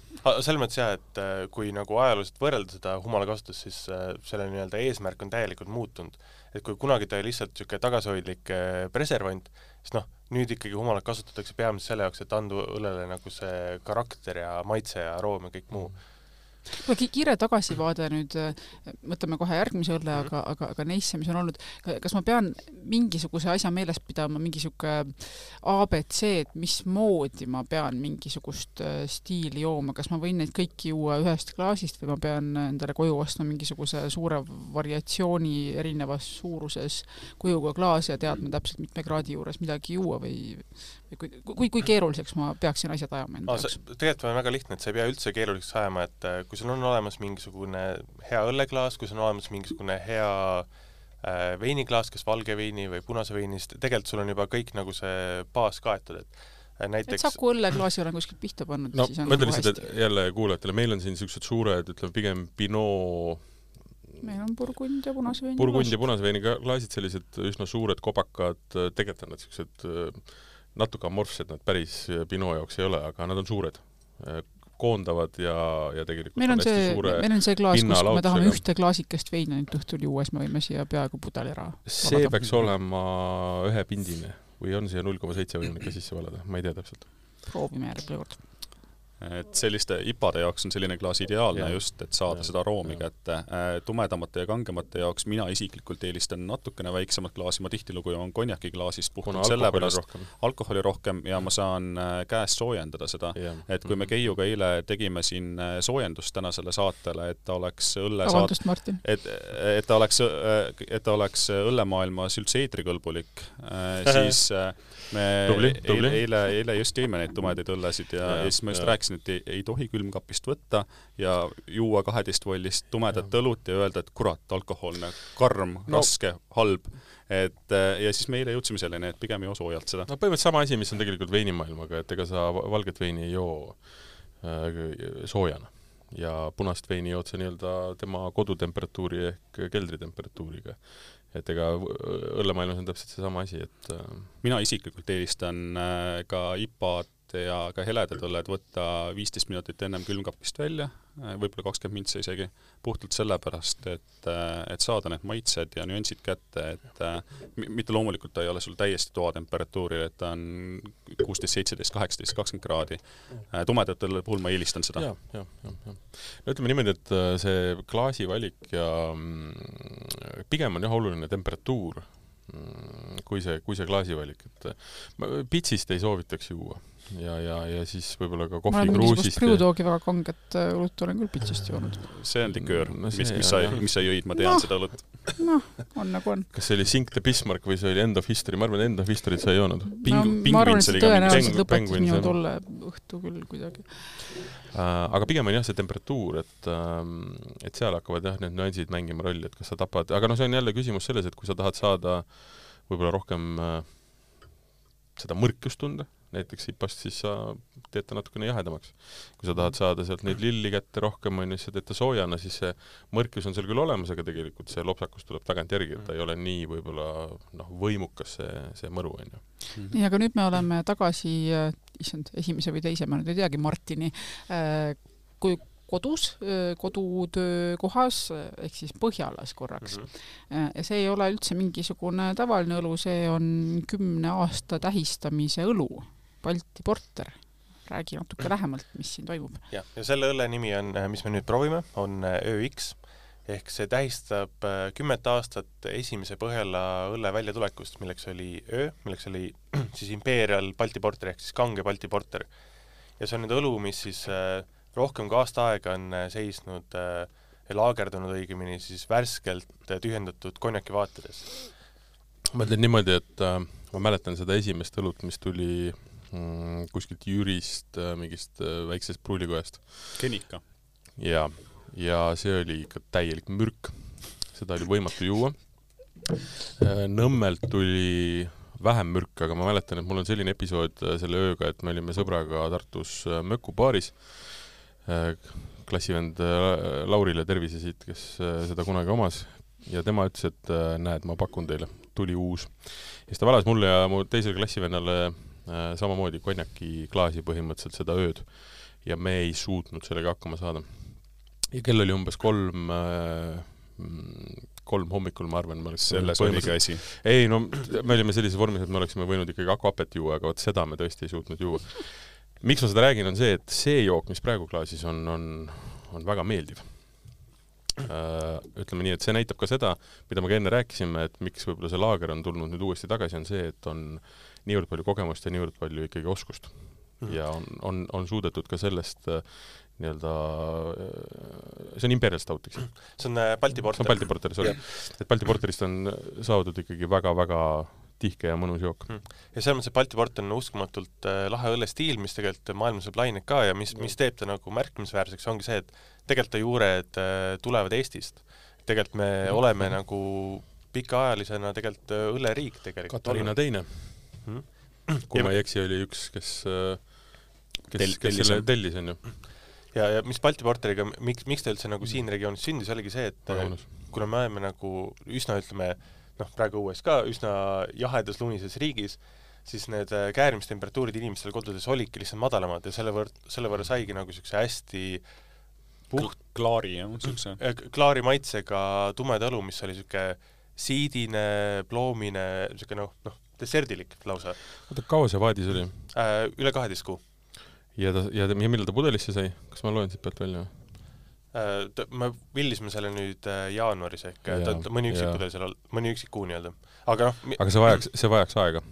Selles mõttes jah, et kui nagu ajalooliselt võrrelda seda humala kasutust, siis selle nii-öelda eesmärk on täielikult muutunud. Et kui kunagi ta oli lihtsalt niisugune tagasihoidlik preservant, siis noh, nüüd ikkagi humalat kasutatakse peamiselt selle jaoks, et anda õllele nagu see karakter ja maitse ja aroom ja kõik muu. Kiire tagasivaade nüüd, mõtleme kohe järgmise õlle, aga, aga, aga neisse, mis on olnud, kas ma pean mingisuguse asja meeles pidama, mingisugune A B C, et mis moodi ma pean mingisugust stiili jooma, kas ma võin neid kõiki juua ühest klaasist või ma pean endale koju ostma mingisuguse suure variatsiooni erinevas suuruses kujuga klaas ja teadma täpselt mitme kraadi juures midagi juua või, või kui, kui, kui keeruliseks ma peaksin asjad ajama enda jaoks? Tegelikult on väga lihtne, et sa ei pea üldse keeruliseks ajama, et kui sul on olemas mingisugune hea õlleklaas, kui sul on olemas mingisugune hea äh, veiniklaas, kas valge veini või punase veini, siis tegelikult sul on juba kõik nagu see baas kaetud, et näiteks... et Saku õlleklaasi olen kuskilt pihta pannud. No, siis on ma ütlen lihtsalt, et jälle kuulajatele, meil on siin sellised suured, ütleme, pigem Pinot... Meil on Burgund ja punasveini Burgund ja punasveini klaasid, sellised üsna suured kopakad, tegelikult on nad sellised natuke amorfsed, nad päris Pinot jaoks ei ole, aga nad on suured, koondavad ja, ja tegelikult meil on, on see, suure meil on see klaas, kus me tahame ühte klaasikest veini nüüd õhtul juues, me võime siia peaaegu pudel ära see valada. Peaks olema ühe pindine või on siia null koma seitse võimalik ka sisse valada, ma ei tea täpselt. Proovime järgmine kord. Et selliste ipade jaoks on selline klaas ideaalne ja. Just, et saada ja. Seda aroomi kätte. Tumedamate ja kangemate jaoks mina isiklikult eelistan natukene väiksemat klaasi, ma tihtilugu joon konjaki klaasist puhtalt sellepärast rohkem. Alkoholi rohkem ja ma saan käest soojendada seda. Ja. Et kui me Keiuga eile tegime siin soojendust tänasele saatele, et ta oleks õlle Avaldust, Martin. Et, et ta oleks, et ta oleks õllemaailmas üldse eetrikõlbulik, siis me tubli, tubli. Eile, eile just jõime neid tumedaid õllesid ja, ja, ja siis ma just ja. Rääkisin, et ei, ei tohi külmkapist võtta ja juua kaheteist vollist tumedat ja. Õlut ja öelda, et kurat, alkoholne, karm, no. Raske, halb. Et, ja siis me eile jõudsime selleni, et pigem joo soojalt seda. No põhimõtteliselt sama asi, mis on tegelikult veinimaailmaga, et ega sa valget veini ei joo äh, soojana. Ja punast veini jood sa nii-öelda tema kodutemperatuuri ehk keldritemperatuuriga. Et ega õllemaailmas on täpselt see sama asi, et... Mina isiklikult eelistan ka ipad ja ka heledad õlled võtta viisteist minutit ennem külmkapist välja, võib-olla kakskümmend mintse isegi, puhtalt sellepärast, et, et saada need maitsed ja nüansid kätte, et mitte loomulikult ta ei ole sul täiesti toatemperatuuril, et ta on kuusteist, seitseteist, kaheksateist, kakskümmend kraadi. Tumedatel puhul ma eelistan seda. Ja, ja, ja, ja. No ütleme niimoodi, et see klaasi valik ja pigem on jah oluline temperatuur, kui see, kui see klaasi valik, et pitsist ei soovitaks juua. Ja, ja, ja siis võib-olla ka kohvi kruusist. Ma olen mingisugust Brewdogi väga kanget õlut olen küll pitsist joonud. See on liköör, no mis, mis, sa, mis sa jõid, ma tean no, seda õlut. Noh, on nagu on. Kas see oli Sink the Bismarck või see oli End of History? Ma arvan, End of History sa ei joonud. Ping, no, ma arvan, et see tõenäoliselt lõpetas minu tolle õhtu küll kuidagi. Uh, aga pigem on jah see temperatuur, et, uh, et seal hakkavad jah need nüansid mängima rolli, et kas sa tapad, aga no see on jälle küsimus selles, et kui sa tahad saada võib-olla rohkem uh, seda mõrkust tunda, näiteks ipast, siis sa teed ta natukene jahedamaks. Kui sa tahad saada sealt neid lilli kätte rohkem, on siis sa teed ta soojana, siis see mõrkus on seal küll olemas, aga tegelikult see lopsakus tuleb tagant järgi, et ta ei ole nii võib-olla noh, võimukas see, see mõru. On ju. Nii, aga nüüd me oleme tagasi, issand, esimese või teise, ma nüüd ei teagi, Martini, kui kodus, kodutöö kohas, ehk siis Põhjalas korraks. Mm-hmm. Ja see ei ole üldse mingisugune tavaline õlu, see on kümne aasta tähistamise õlu, Balti Porter. Räägi natuke lähemalt, mis siin toimub. Ja, ja selle õlle nimi on, mis me nüüd proovime, on ÖX, ehk see tähistab kümmet aastat esimese Põhjala õlle väljatulekust, milleks oli Ö, milleks oli siis Imperial Balti Porter, ehk siis kange Balti Porter. Ja see on nüüd õlu, mis siis rohkem kui aasta aega on seisnud ja laagerdunud õigemini siis värskelt tühjendatud konjaki vaatades. Ma ütlen niimoodi, et äh, ma mäletan seda esimest õlut, mis tuli mm, kuskilt Jürist äh, mingist äh, väiksest pruulikojast. Kenika. Ja, ja see oli ikka täielik mürk. Seda oli võimatu juua. Äh, Nõmmelt tuli vähem mürk, aga ma mäletan, et mul on selline episood selle ööga, et me olime sõbraga Tartus mökupaaris. Klassivend Laurile tervise siit, kes seda kunagi omas ja tema ütles, et näed, ma pakun teile, tuli uus. Ja siis ta valas mulle ja mu teisele klassivennale samamoodi konjaki klaasi põhimõtteliselt seda ööd ja me ei suutnud sellega hakkama saada. Ja kell oli umbes kolm, kolm hommikul, ma arvan. Selles oligi asi. Ei, no me olime sellise vormis, et me oleksime võinud ikkagi akuapet juua, aga võt seda me tõesti ei suutnud juua. Miks ma seda räägin, on see, et see jook, mis praegu klaasis on, on, on väga meeldiv. Uh, ütleme nii, et see näitab ka seda, mida me ka enne rääkisime, et miks võib-olla see laager on tulnud nüüd uuesti tagasi, on see, et on niivõrd palju kogemust ja niivõrd palju ikkagi oskust. Mm. Ja on, on, on suudetud ka sellest uh, nii-öelda, uh, see on Imperial Stout, eks? See on uh, Balti Porter. See on Balti Porter, sorry. Yeah. Et Balti Porterist on saadud ikkagi väga-väga tihke ja mõnus jook. Ja selles mõttes, et Balti Porter on uskumatult äh, lahe õllestiil, mis tegelikult maailmas saab lained ka ja mis, mis teeb ta nagu märkimisväärseks, ongi see, et tegelikult ta juured äh, tulevad Eestist. Tegelikult me mm. oleme nagu pikaajalisena tegelikult õlleriik tegelikult. Katariina teine. Hmm? kui ma ei eksi, oli üks, kes, kes, Tell, kes selle tellis, on ju. Ja, ja mis Balti Porteriga, miks, miks ta üldse nagu siin regioonis sündis, oligi see, et Vagunus. kuna me oleme nagu üsna, ütleme, noh, praegu uues ka üsna jahedas lunises riigis, siis need käärimistemperatuurid inimestel kodudes olidki lihtsalt madalamad ja selle võrra, selle võrra saigi nagu niisuguse hästi puht klaari, jah, niisuguse klaari maitsega tumeda õlu, mis oli niisugune siidine, ploomine, niisugune noh, noh, desserdilik lausa. Oota, kaua see vaadis oli? Äh, üle kaheteist kuu. Ja, ta, ja, ja millal ta pudelisse sai? Kas ma loen siit pealt välja? Äh, ta, me villisime selle nüüd äh, jaanuaris ehk ja, ta, mõni üksik pudel seal, mõni üksik kuu nii-öelda. Aga noh... Mi- Aga see vajaks, see vajaks aega.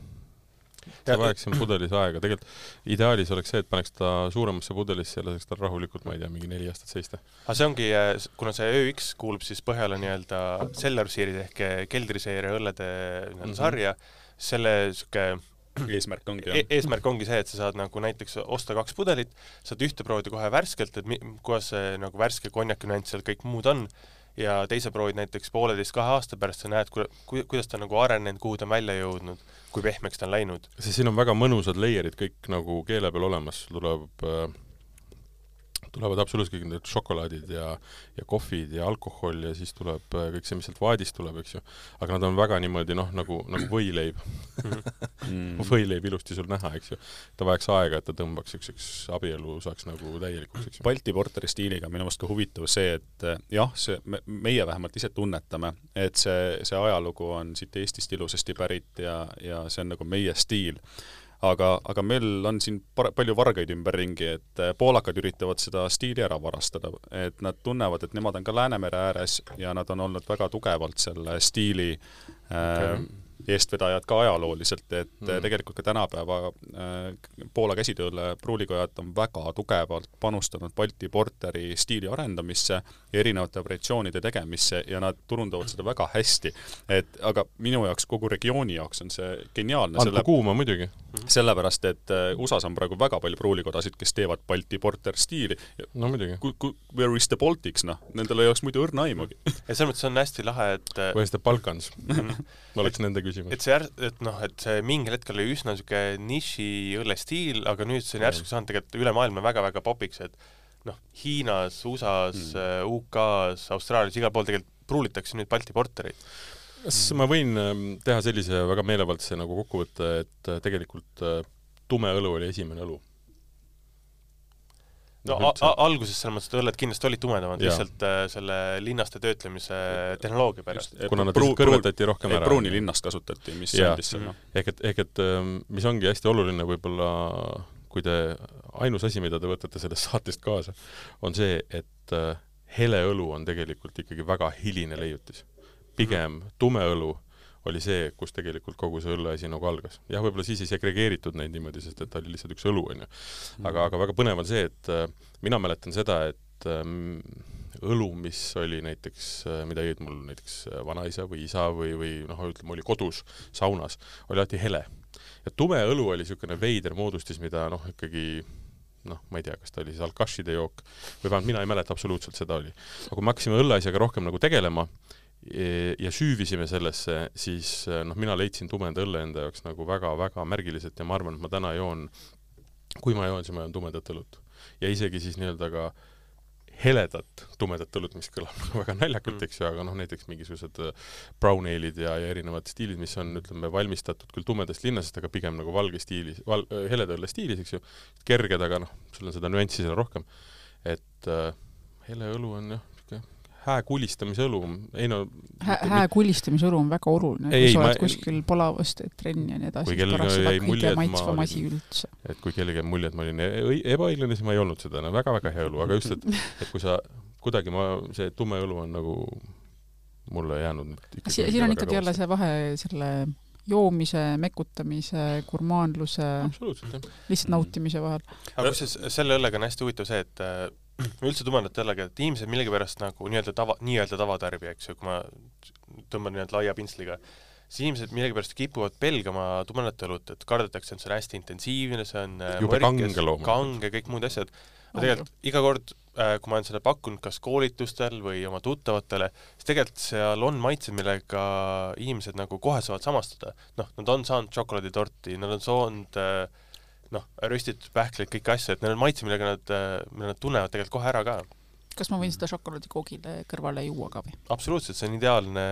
See vajaks siin pudelis aega. Tegelikult ideaalis oleks see, et paneks ta suuremasse pudelisse ja laseks ta rahulikult, ma ei tea, mingi neli aastat seista. Aga see ongi, kuna see Ö X kuulub siis Põhjala nii-öelda Cellar-seerid ehk keldriseeria õllede mm-hmm. sarja, selle süke eesmärk ongi, e eesmärk ongi see, et sa saad nagu näiteks osta kaks pudelit, saad ühte proovida kohe värskelt, et mi kuidas see nagu värske konjaki nüanss seal kõik muud on, ja teise proovid näiteks pooleteist kahe aasta pärast, sa näed, ku kuidas ta nagu arenenud, kuhu ta on välja jõudnud, kui pehmeks ta on läinud. See siin on väga mõnusad layerid kõik nagu keele peal olemas, tuleb äh, tulevad absoluutselt kõik need šokolaadid ja, ja kohvid ja alkohol ja siis tuleb kõik see, mis sealt vaadist tuleb, eks ju. Aga nad on väga niimoodi, noh, nagu, nagu võileib. mm. võileib ilusti sul näha, eks ju. Ta vajaks aega, et ta tõmbaks üks abielu saaks nagu täielikuks, eks ju. Balti Porteri stiiliga minu meelest ka huvitav see, et jah, see, me, meie vähemalt ise tunnetame, et see, see ajalugu on siit Eestist ilusasti pärit ja, ja see on nagu meie stiil. Aga, aga meil on siin par palju vargaid ümberringi, et poolakad üritavad seda stiili ära varastada, et nad tunnevad, et nemad on ka Läänemere ääres ja nad on olnud väga tugevalt selle stiili okay. äh, eestvedajad ka ajalooliselt, et mm. tegelikult ka tänapäeva äh, Poola käsitööle pruulikojad on väga tugevalt panustanud Balti Porteri stiili arendamisse ja erinevate variatsioonide tegemisse ja nad turundavad seda väga hästi. Et, aga minu jaoks, kogu regiooni jaoks on see geniaalne. Andku selle... kuuma muidugi. Sellepärast, et U S A-s on praegu väga palju pruulikodasid, kes teevad Balti Porter stiili. No muidugi. Where is the Baltics, noh? Nendel ei oleks muidu õrna aimugi. Ja selles mõttes on hästi lahe, et... Where is the Balkans? Ma oleks nende küsimus. Et see, et noh, et see mingil hetkel oli üsna süke niši õllestiil, aga nüüd see on järsku saanud tegelikult üle maailma väga-väga popiks, et noh, Hiinas, U S A-s, mm. U K-s, Austraalias, igal pool tegelikult pruulitakse nüüd Balti Portereid. Kas ma võin teha sellise väga meelevaldse nagu kokkuvõtte, et tegelikult tume õlu oli esimene õlu? No alguses selles mõttes, et õlled kindlasti olid tumedamad, lihtsalt äh, selle linnaste töötlemise tehnoloogia pärast. Kuna nad Pru kõrvetati rohkem ära. Pruuni linnast kasutati, mis andis selle. Ehk et, ehk et mis ongi hästi oluline võib-olla, kui te ainus asi, mida te võtate sellest saatest kaasa, on see, et hele õlu on tegelikult ikkagi väga hiline leiutis. Pigem tume õlu oli see, kus tegelikult kogu see õlleasi nagu algas. Jah, võib-olla siis ei segregeeritud neid niimoodi, sest et ta oli lihtsalt üks õlu, on ju. Aga, aga väga põnev on see, et mina mäletan seda, et õlu, mis oli näiteks, mida jõid mul näiteks vanaisa või isa või, või noh, ütleme, oli kodus saunas, oli alati hele. Ja tume õlu oli niisugune veider moodustis, mida noh, ikkagi noh, ma ei tea, kas ta oli siis alkašide jook või vähemalt mina ei mäleta absoluutselt seda oli. Aga kui me hakkasime õlleasjaga rohkem nagu tegelema ja süüvisime sellesse, siis noh, mina leidsin tumeda õlle enda jaoks nagu väga-väga märgiliselt ja ma arvan, et ma täna joon, kui ma joon, siis ma joon tumedat õlut. Ja isegi siis nii-öelda ka heledat tumedat õlut, mis kõlab nagu väga naljakalt, eks ju, aga noh, näiteks mingisugused brown ale'id ja, ja erinevad stiilid, mis on, ütleme, valmistatud küll tumedast linnasest, aga pigem nagu valge stiilis, val, heleda õlle stiilis, eks ju, kerged, aga noh, sul on seda nüanssi seal rohkem. Et äh, hele õlu on jah, hää kulistamise õlu. Ei no, hää, hää kulistamise õlu on väga oluline, kui sa oled ma... kuskil palavast trenni ja nii edasi. Kui kellegi jäi mulje, et ma olin, et kui kellegi jäi mulje, et ma olin ebaõiglane, siis ma ei olnud seda. No, väga-väga hea õlu, aga just, et, et kui sa kuidagi ma, see tume õlu on nagu mulle jäänud ikkagi si siin on ikkagi jälle see vahe selle joomise, mekutamise, gurmaanluse, lihtsalt nautimise vahel. Aga kus selle õllega on hästi huvitav see, et üldse tumedat õllega, et inimesed millegipärast nagu nii-öelda tava, nii-öelda tavatarbi, eks ju, kui ma tõmban nii-öelda laia pintsliga, siis inimesed millegipärast kipuvad pelgama tumedat õlut, et kardetakse, et see on hästi intensiivne, see on jube kange looma. Kange, kõik muud asjad. Aga tegelikult iga kord kui ma olen seda pakkunud kas koolitustel või oma tuttavatele, siis tegelikult seal on maitsed, millega inimesed nagu kohe saavad samastuda. Noh, nad on saanud šokolaaditorti, nad on saanud noh, röstitud pähkleid, kõik asju, et need on maitsed, millega nad, millega nad tunnevad tegelikult kohe ära ka. Kas ma võin seda šokolaadikoogile kõrvale juua ka või? Absoluutselt, see on ideaalne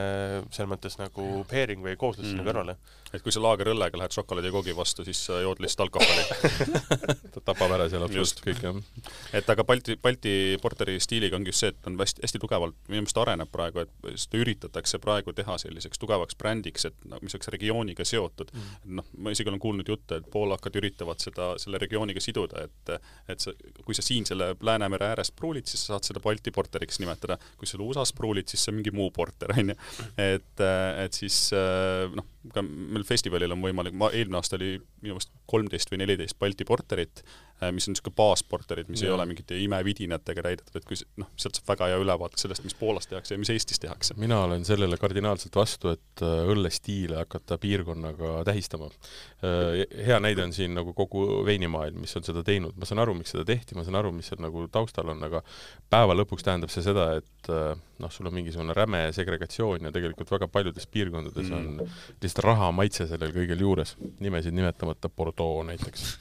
selles mõttes nagu pairing või kooslus sinna mm. kõrvale. Et kui sa laagerõllega lähed šokolaadikoogi vastu, siis sa jood lihtsalt alkoholi. Ta tapab ära seal absoluutselt kõik, jah. Et aga Balti, Balti porteri stiiliga ongi just see, et on hästi, hästi tugevalt, minu meelest areneb praegu, et seda üritatakse praegu teha selliseks tugevaks brändiks, et mis oleks regiooniga seotud. Mm. No, ma isegi olen kuulnud jutte, et poolakad üritavad seda, selle regiooniga siduda, et, et sa, kui sa siin selle Läänemere ääres pruulid, siis sa saad seda Balti porteriks nimetada. Kui sa U S A-s pruulid, siis see on mingi muu porter, on ju. Et, et siis, noh, ka meil festivalil on võimalik, ma eelmine aasta oli minu meelest kolmteist või neliteist Balti porterit, mis on niisugune baasporterid, mis ja. ei ole mingite imevidinatega täidetud, et kui noh, sealt saab väga hea ülevaate sellest, mis Poolas tehakse ja mis Eestis tehakse. Mina olen sellele kardinaalselt vastu, et õllestiile hakata piirkonnaga tähistama. Hea näide on siin nagu kogu veinimaailm, mis on seda teinud. Ma saan aru, miks seda tehti, ma saan aru, mis seal nagu taustal on, aga päeva lõpuks tähendab see seda, et noh, sul on mingisugune räme segregatsioon ja tegelikult väga paljudes piirkondades mm. on lihtsalt raha maitse sellel kõigel juures. Nimesid nimetamata Bordeaux näiteks.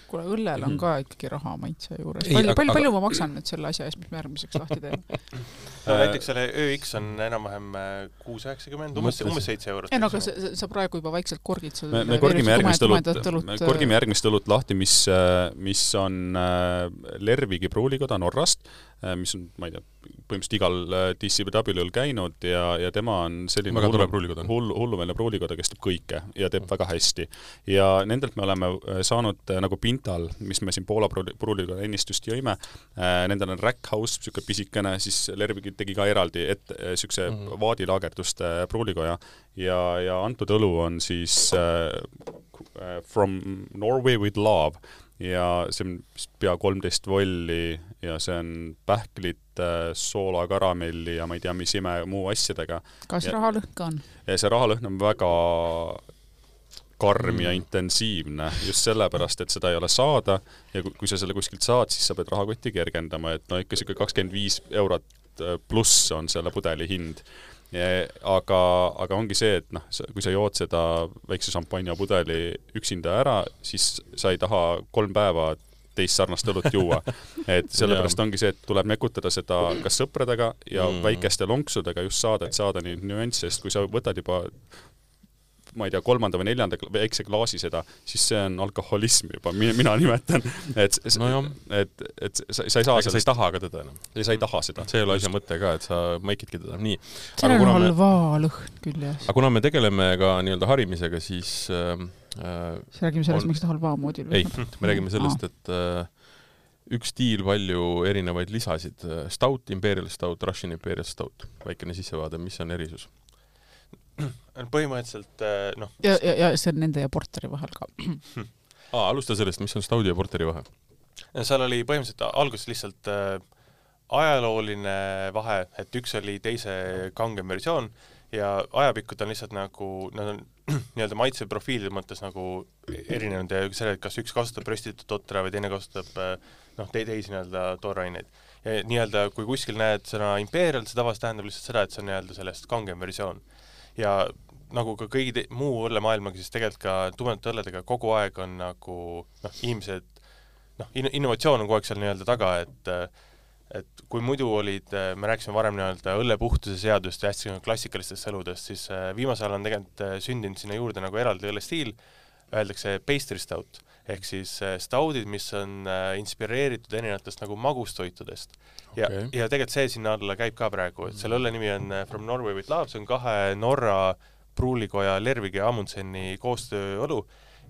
Kuule, õllel on ka ikkagi raha maitse juures. Palju, palju, palju ma maksan nüüd selle asja eest, mis me järgmiseks lahti teeme? No, näiteks selle ÖX on enam-vähem kuus üheksakümmend, umbes, umbes seitse eurot. Ei, no aga sa, sa praegu juba vaikselt korgid. Me, me korgime järgmist õlut, me korgime järgmist õlut lahti, mis, mis on Lervigi pruulikoda Norrast, mis on, ma ei tea, põhimõtteliselt igal D C W-l käinud ja, ja tema on selline hullu, hullu, hullumeelne pruulikoda, kes teeb kõike ja teeb väga hästi. Ja nendelt me oleme saanud nagu Pintal, mis me siin Poola pruulikoda ennist just jõime, nendel on Rack House, siuke pisikene, siis Lervigi tegi ka eraldi et siukse mm -hmm. vaadilaagerduste pruulikoja ja, ja antud õlu on siis uh, From Norway with Love ja see on pea kolmteist volli ja see on pähklit, soola, karamelli ja ma ei tea, mis ime muu asjadega. Kas ja, rahalõhn ka on? Ja see rahalõhn on väga karm mm. ja intensiivne just sellepärast, et seda ei ole saada ja kui sa selle kuskilt saad, siis sa pead rahakotti kergendama, et no ikka siuke kakskümmend viis eurot pluss on selle pudeli hind. Ja, aga, aga ongi see, et noh, kui sa jood seda väikse šampanja pudeli üksinda ära, siis sa ei taha kolm päeva teist sarnast õlut juua. Et sellepärast ongi see, et tuleb mekutada seda kas sõpradega ja mm. väikeste lonksudega just saada, et saada neid nüansse, sest kui sa võtad juba ma ei tea, kolmanda või neljanda väikse klaasi seda, siis see on alkoholism juba, mina nimetan. Et, no et, et sa, sa ei saa seda. Sa ei taha ka teda enam. Sa ei taha seda. See ei ole asja mõte ka, et sa maikidki teda. Nii. See on halva lõhn küll, jah. Aga kuna me tegeleme ka nii-öelda harimisega, siis äh, siis räägime sellest, on... miks ta halva moodil ei, me räägime sellest, et äh, üks stiil palju erinevaid lisasid. Stout, Imperial Stout, Russian Imperial Stout. Väikene sissevaade, mis on erisus? Põhimõtteliselt, noh... Ja, ja, ja see on nende ja porteri vahel ka. Aa, alusta sellest, mis on Stoudi ja porteri vahe? Seal oli põhimõtteliselt alguses lihtsalt äh, ajalooline vahe, et üks oli teise kangem versioon ja ajapikkud on lihtsalt nagu, nad on nii-öelda maitseprofiilide mõttes nagu erinenud ja selle, kas üks kasutab röstitud totra või teine kasutab noh, te teisi nii-öelda tooraineid. Ja nii-öelda, kui kuskil näed sõna Imperial, see tavaliselt tähendab lihtsalt seda, et see on nii-öelda sellest kangem versioon. Ja nagu ka kõigi te, muu õllemaailmaga, siis tegelikult ka tumedate õlledega kogu aeg on nagu noh, inimesed, noh, in, innovatsioon on kogu aeg seal nii-öelda taga, et et kui muidu olid, me rääkisime varem nii-öelda õllepuhtuse seadust ja hästi klassikalistest õludest, siis viimasel on tegelikult sündinud sinna juurde nagu eraldi õllestiil, öeldakse pastry stout, ehk siis staudid, mis on inspireeritud erinevatest nagu magustoitudest. Ja, okay. ja tegelikult see sinna alla käib ka praegu, et selle õlle nimi on From Norway with Love, see on kahe Norra pruulikoja Lervigi ja Amundseni koostööõlu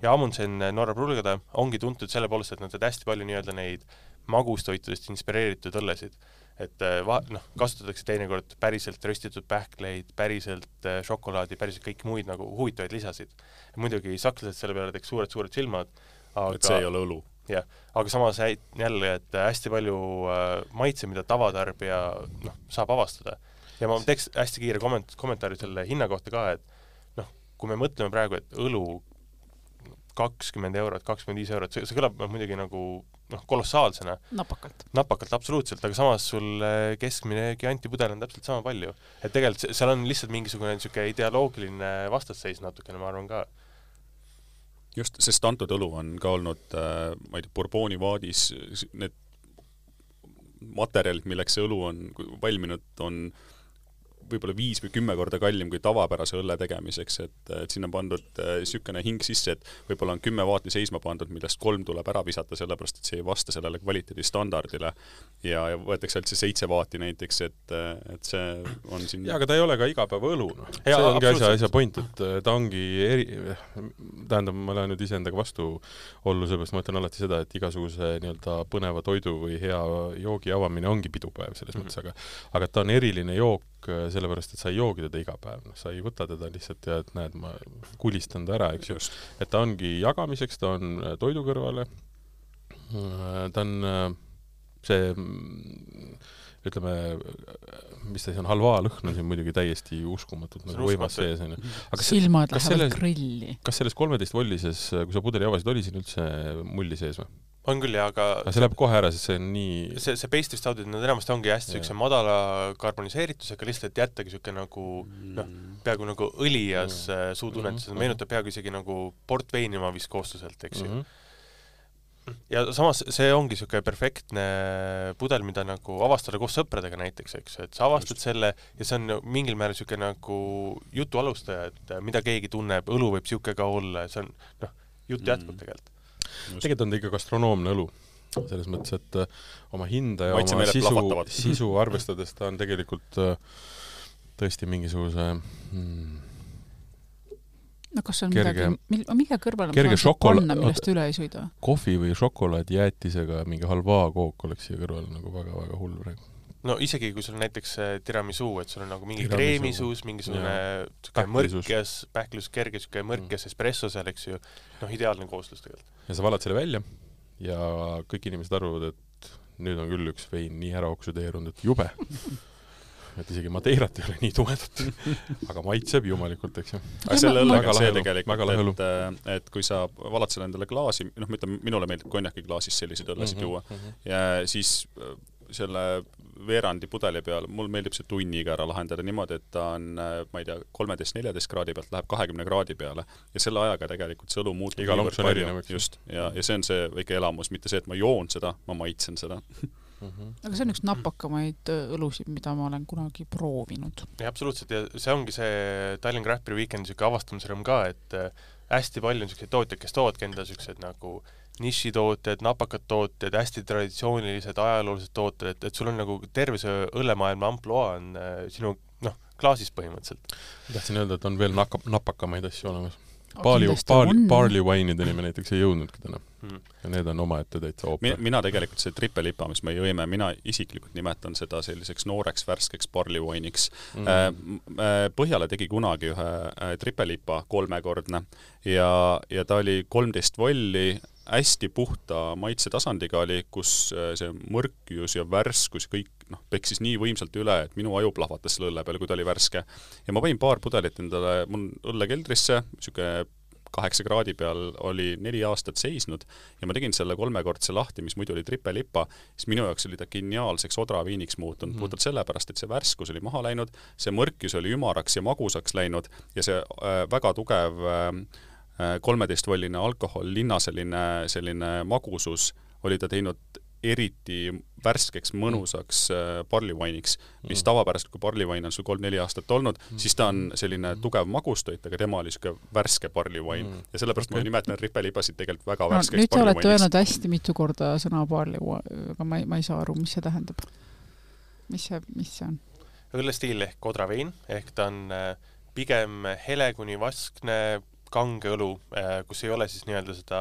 ja Amundsen Norra pruulikoda ongi tuntud selle poolest, et nad teed hästi palju nii-öelda neid magustoitudest inspireeritud õllesid. Et va, noh, kasutatakse teinekord päriselt röstitud pähkleid, päriselt šokolaadi, päriselt kõik muid nagu huvitavaid lisasid. Ja muidugi sakslased selle peale teeks suured-suured silmad. Aga, et see ei ole õlu. Jah, aga samas jälle, et hästi palju maitse, mida tavatarbija noh, saab avastada. Ja ma teeks hästi kiire komment- kommentaari selle hinna kohta ka, et noh, kui me mõtleme praegu, et õlu kakskümmend eurot, kakskümmend viis eurot, see, see kõlab muidugi nagu noh, kolossaalsena. Napakalt. Napakalt, absoluutselt, aga samas sul keskmine giantipudel on täpselt sama palju. Et tegelikult seal on lihtsalt mingisugune niisugune ideoloogiline vastasseis natukene, ma arvan ka. Just, sest antud õlu on ka olnud, ma ei tea, Bourboni vaadis, need materjalid, milleks see õlu on valminud, on võib-olla viis või kümme korda kallim kui tavapärase õlle tegemiseks, et, et siin on pandud sükene hing sisse, et võib-olla on kümme vaati seisma pandud, millest kolm tuleb ära visata, sellepärast et see ei vasta sellele kvaliteedi standardile ja, ja võetakse üldse seitse vaati näiteks, et, et see on siin... Ja, aga ta ei ole ka igapäeva õlu, noh. See ongi asja, asja point, et ta ongi eri... tähendab, ma lähen nüüd iseendaga vastu ollu, sellepärast ma ütlen alati seda, et igasuguse nii-öelda põneva toidu või hea joogi avamine ongi pidupäev selles mm-hmm. mõttes, aga, aga ta on eriline jook sellepärast, et sa ei joogi teda iga päev, no, sa ei võta teda lihtsalt ja et näed, ma kulistan ta ära, eks just. Et ta ongi jagamiseks, ta on toidu kõrvale, ta on see, ütleme, mis ta siis on, halvaa lõhn on siin muidugi täiesti uskumatult nagu võimas sees. Silmad lähevad grilli. Kas selles kolmeteist vollises, kui sa pudeli avasid, oli siin üldse mulli sees või? On küll, ja, aga... aga see läheb kohe ära, sest see on nii... See, see pastry stoudid, nad enamasti ongi hästi sükse madala karboniseeritusega, lihtsalt jättagi sükse nagu, noh, peaaegu nagu õlias mm. suutunnetus, mm-hmm. meenutab peaaegu isegi nagu portveini ma vist koostuselt, eks ju. Mm-hmm. Ja samas see ongi sükse perfektne pudel, mida nagu avastada koos sõpradega näiteks, eks ju, et sa avastad Just. selle ja see on mingil määral sükse nagu jutu alustaja, et mida keegi tunneb, õlu võib sükse ka olla, see on, noh, jutt jätkub mm. tegelikult. Just. Tegelikult on ta ikka gastronoomne õlu, selles mõttes, et uh, oma hinda ja Maitse oma sisu, sisu arvestades ta on tegelikult uh, tõesti mingisuguse hmm, no kas on kerge, midagi, mille kõrval on saanud šokola... panna, millest üle ei sõida? Kohvi või šokolaad jäätisega mingi halvaa kook oleks siia kõrval nagu väga-väga hull praegu. No isegi kui sul on näiteks tiramisu, et sul on nagu mingi kreemisuus, mingisugune mõrkjas, pähklus, kerge mõrkjas mm. espresso seal, eks ju, noh, ideaalne kooslus tegelikult. Ja sa valad selle välja ja kõik inimesed arvavad, et nüüd on küll üks vein nii ära oksüdeerunud, et jube. Et isegi Madeirat ei ole nii tumedat, aga maitseb jumalikult, eks ju. Aga selle õllega see tegelikult, et, et kui sa valad selle endale klaasi, noh, ma ütlen, minule meeldib konjaki klaasis selliseid õllesid juua mm-hmm. ja siis selle veerandi pudeli peal, mul meeldib see tunniga ära lahendada niimoodi, et ta on, ma ei tea, kolmeteist neljateist kraadi pealt läheb kahekümne kraadi peale ja selle ajaga tegelikult see õlu muutub iga lonks on erinev, just, ja, ja see on see väike elamus, mitte see, et ma joon seda, ma maitsen seda. Mm-hmm. Aga see on üks napakamaid õlusid, mida ma olen kunagi proovinud. Ja absoluutselt, ja see ongi see Tallinn Craft Beer Weekendi siuke avastamisrõõm ka, et hästi palju on siuksed tootjad, kes toovadki enda siuksed nagu nišitooted, napakad tooted, hästi traditsioonilised, ajaloolised tooted, et, et sul on nagu terve see õllemaailma amploa on sinu, noh, klaasis põhimõtteliselt. Tahtsin öelda, et on veel naka, napakamaid asju olemas. Barley, barley, barley wine'ideni me näiteks ei jõudnudki täna. Hmm. Ja need on oma ette täitsa ooper. Mina, mina tegelikult see trippelipa, mis me jõime, mina isiklikult nimetan seda selliseks nooreks, värskeks barley wine'iks. Hmm. Põhjale tegi kunagi ühe trippelipa kolmekordne ja, ja ta oli kolmteist volli, hästi puhta maitse tasandiga oli, kus see mõrkjus ja värskus kõik noh, peksis nii võimsalt üle, et minu aju plahvatas selle õlle peale, kui ta oli värske. Ja ma panin paar pudelit endale mul õllekeldrisse, siuke kaheksa kraadi peal oli neli aastat seisnud ja ma tegin selle kolmekordse lahti, mis muidu oli trippelipa, siis minu jaoks oli ta geniaalseks odraviiniks muutunud, mm. puhtalt sellepärast, et see värskus oli maha läinud, see mõrkjus oli ümaraks ja magusaks läinud ja see äh, väga tugev äh, kolmeteistvolline alkohol, linnaseline selline magusus oli ta teinud eriti värskeks, mõnusaks barley wine'iks, mis tavapäraselt, kui barley wine on sul kolm-neli aastat olnud, siis ta on selline tugev magustoit, aga tema oli siuke värske barley wine. Ja sellepärast ma nimetan rippelipasid tegelikult väga värskeks no, barley wine'iks. Nüüd te olete öelnud hästi mitu korda sõna barley wine, aga ma ei, ma ei saa aru, mis see tähendab. Mis see, mis see on? Õllestiil ehk odravein, ehk ta on pigem hele kuni vaskne kange õlu, kus ei ole siis nii-öelda seda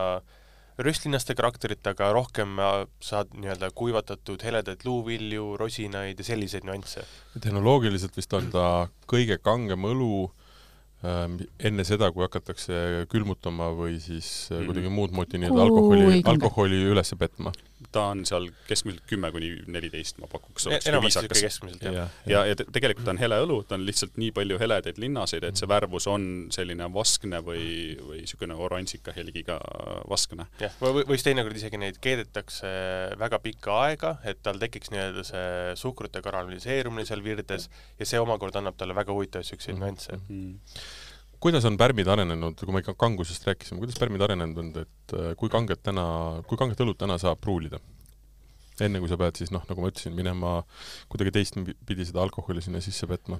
röstlinaste karakterit, aga rohkem saad nii-öelda kuivatatud heledaid luuvilju, rosinaid ja selliseid nüansse. Tehnoloogiliselt vist on ta kõige kangem õlu äh, enne seda, kui hakatakse külmutama või siis mm-hmm. kuidagi muud moodi nii-, alkoholi, alkoholi üles petma. ta on seal keskmiselt kümme kuni neliteist, ma pakuks, oleks enamasti viisakas. keskmiselt, jah. Ja, ja, ja te, tegelikult on hele õlu, ta on lihtsalt nii palju heledaid linnaseid, et see värvus on selline vaskne või, või niisugune oranžika helgiga vaskne. jah, või, või teinekord isegi neid keedetakse väga pikka aega, et tal tekiks nii-öelda see suhkrute karameliseerumine seal virdes ja see omakorda annab talle väga huvitavaid siukseid nüansse. Mm-hmm. Kuidas on pärmid arenenud, kui me ikka kangusest rääkisime, kuidas pärmid arenenud on, et kui kanget täna, kui kanget õlut täna saab pruulida? Enne kui sa pead siis, noh, nagu ma ütlesin, minema kuidagi teist pidi seda alkoholi sinna sisse petma?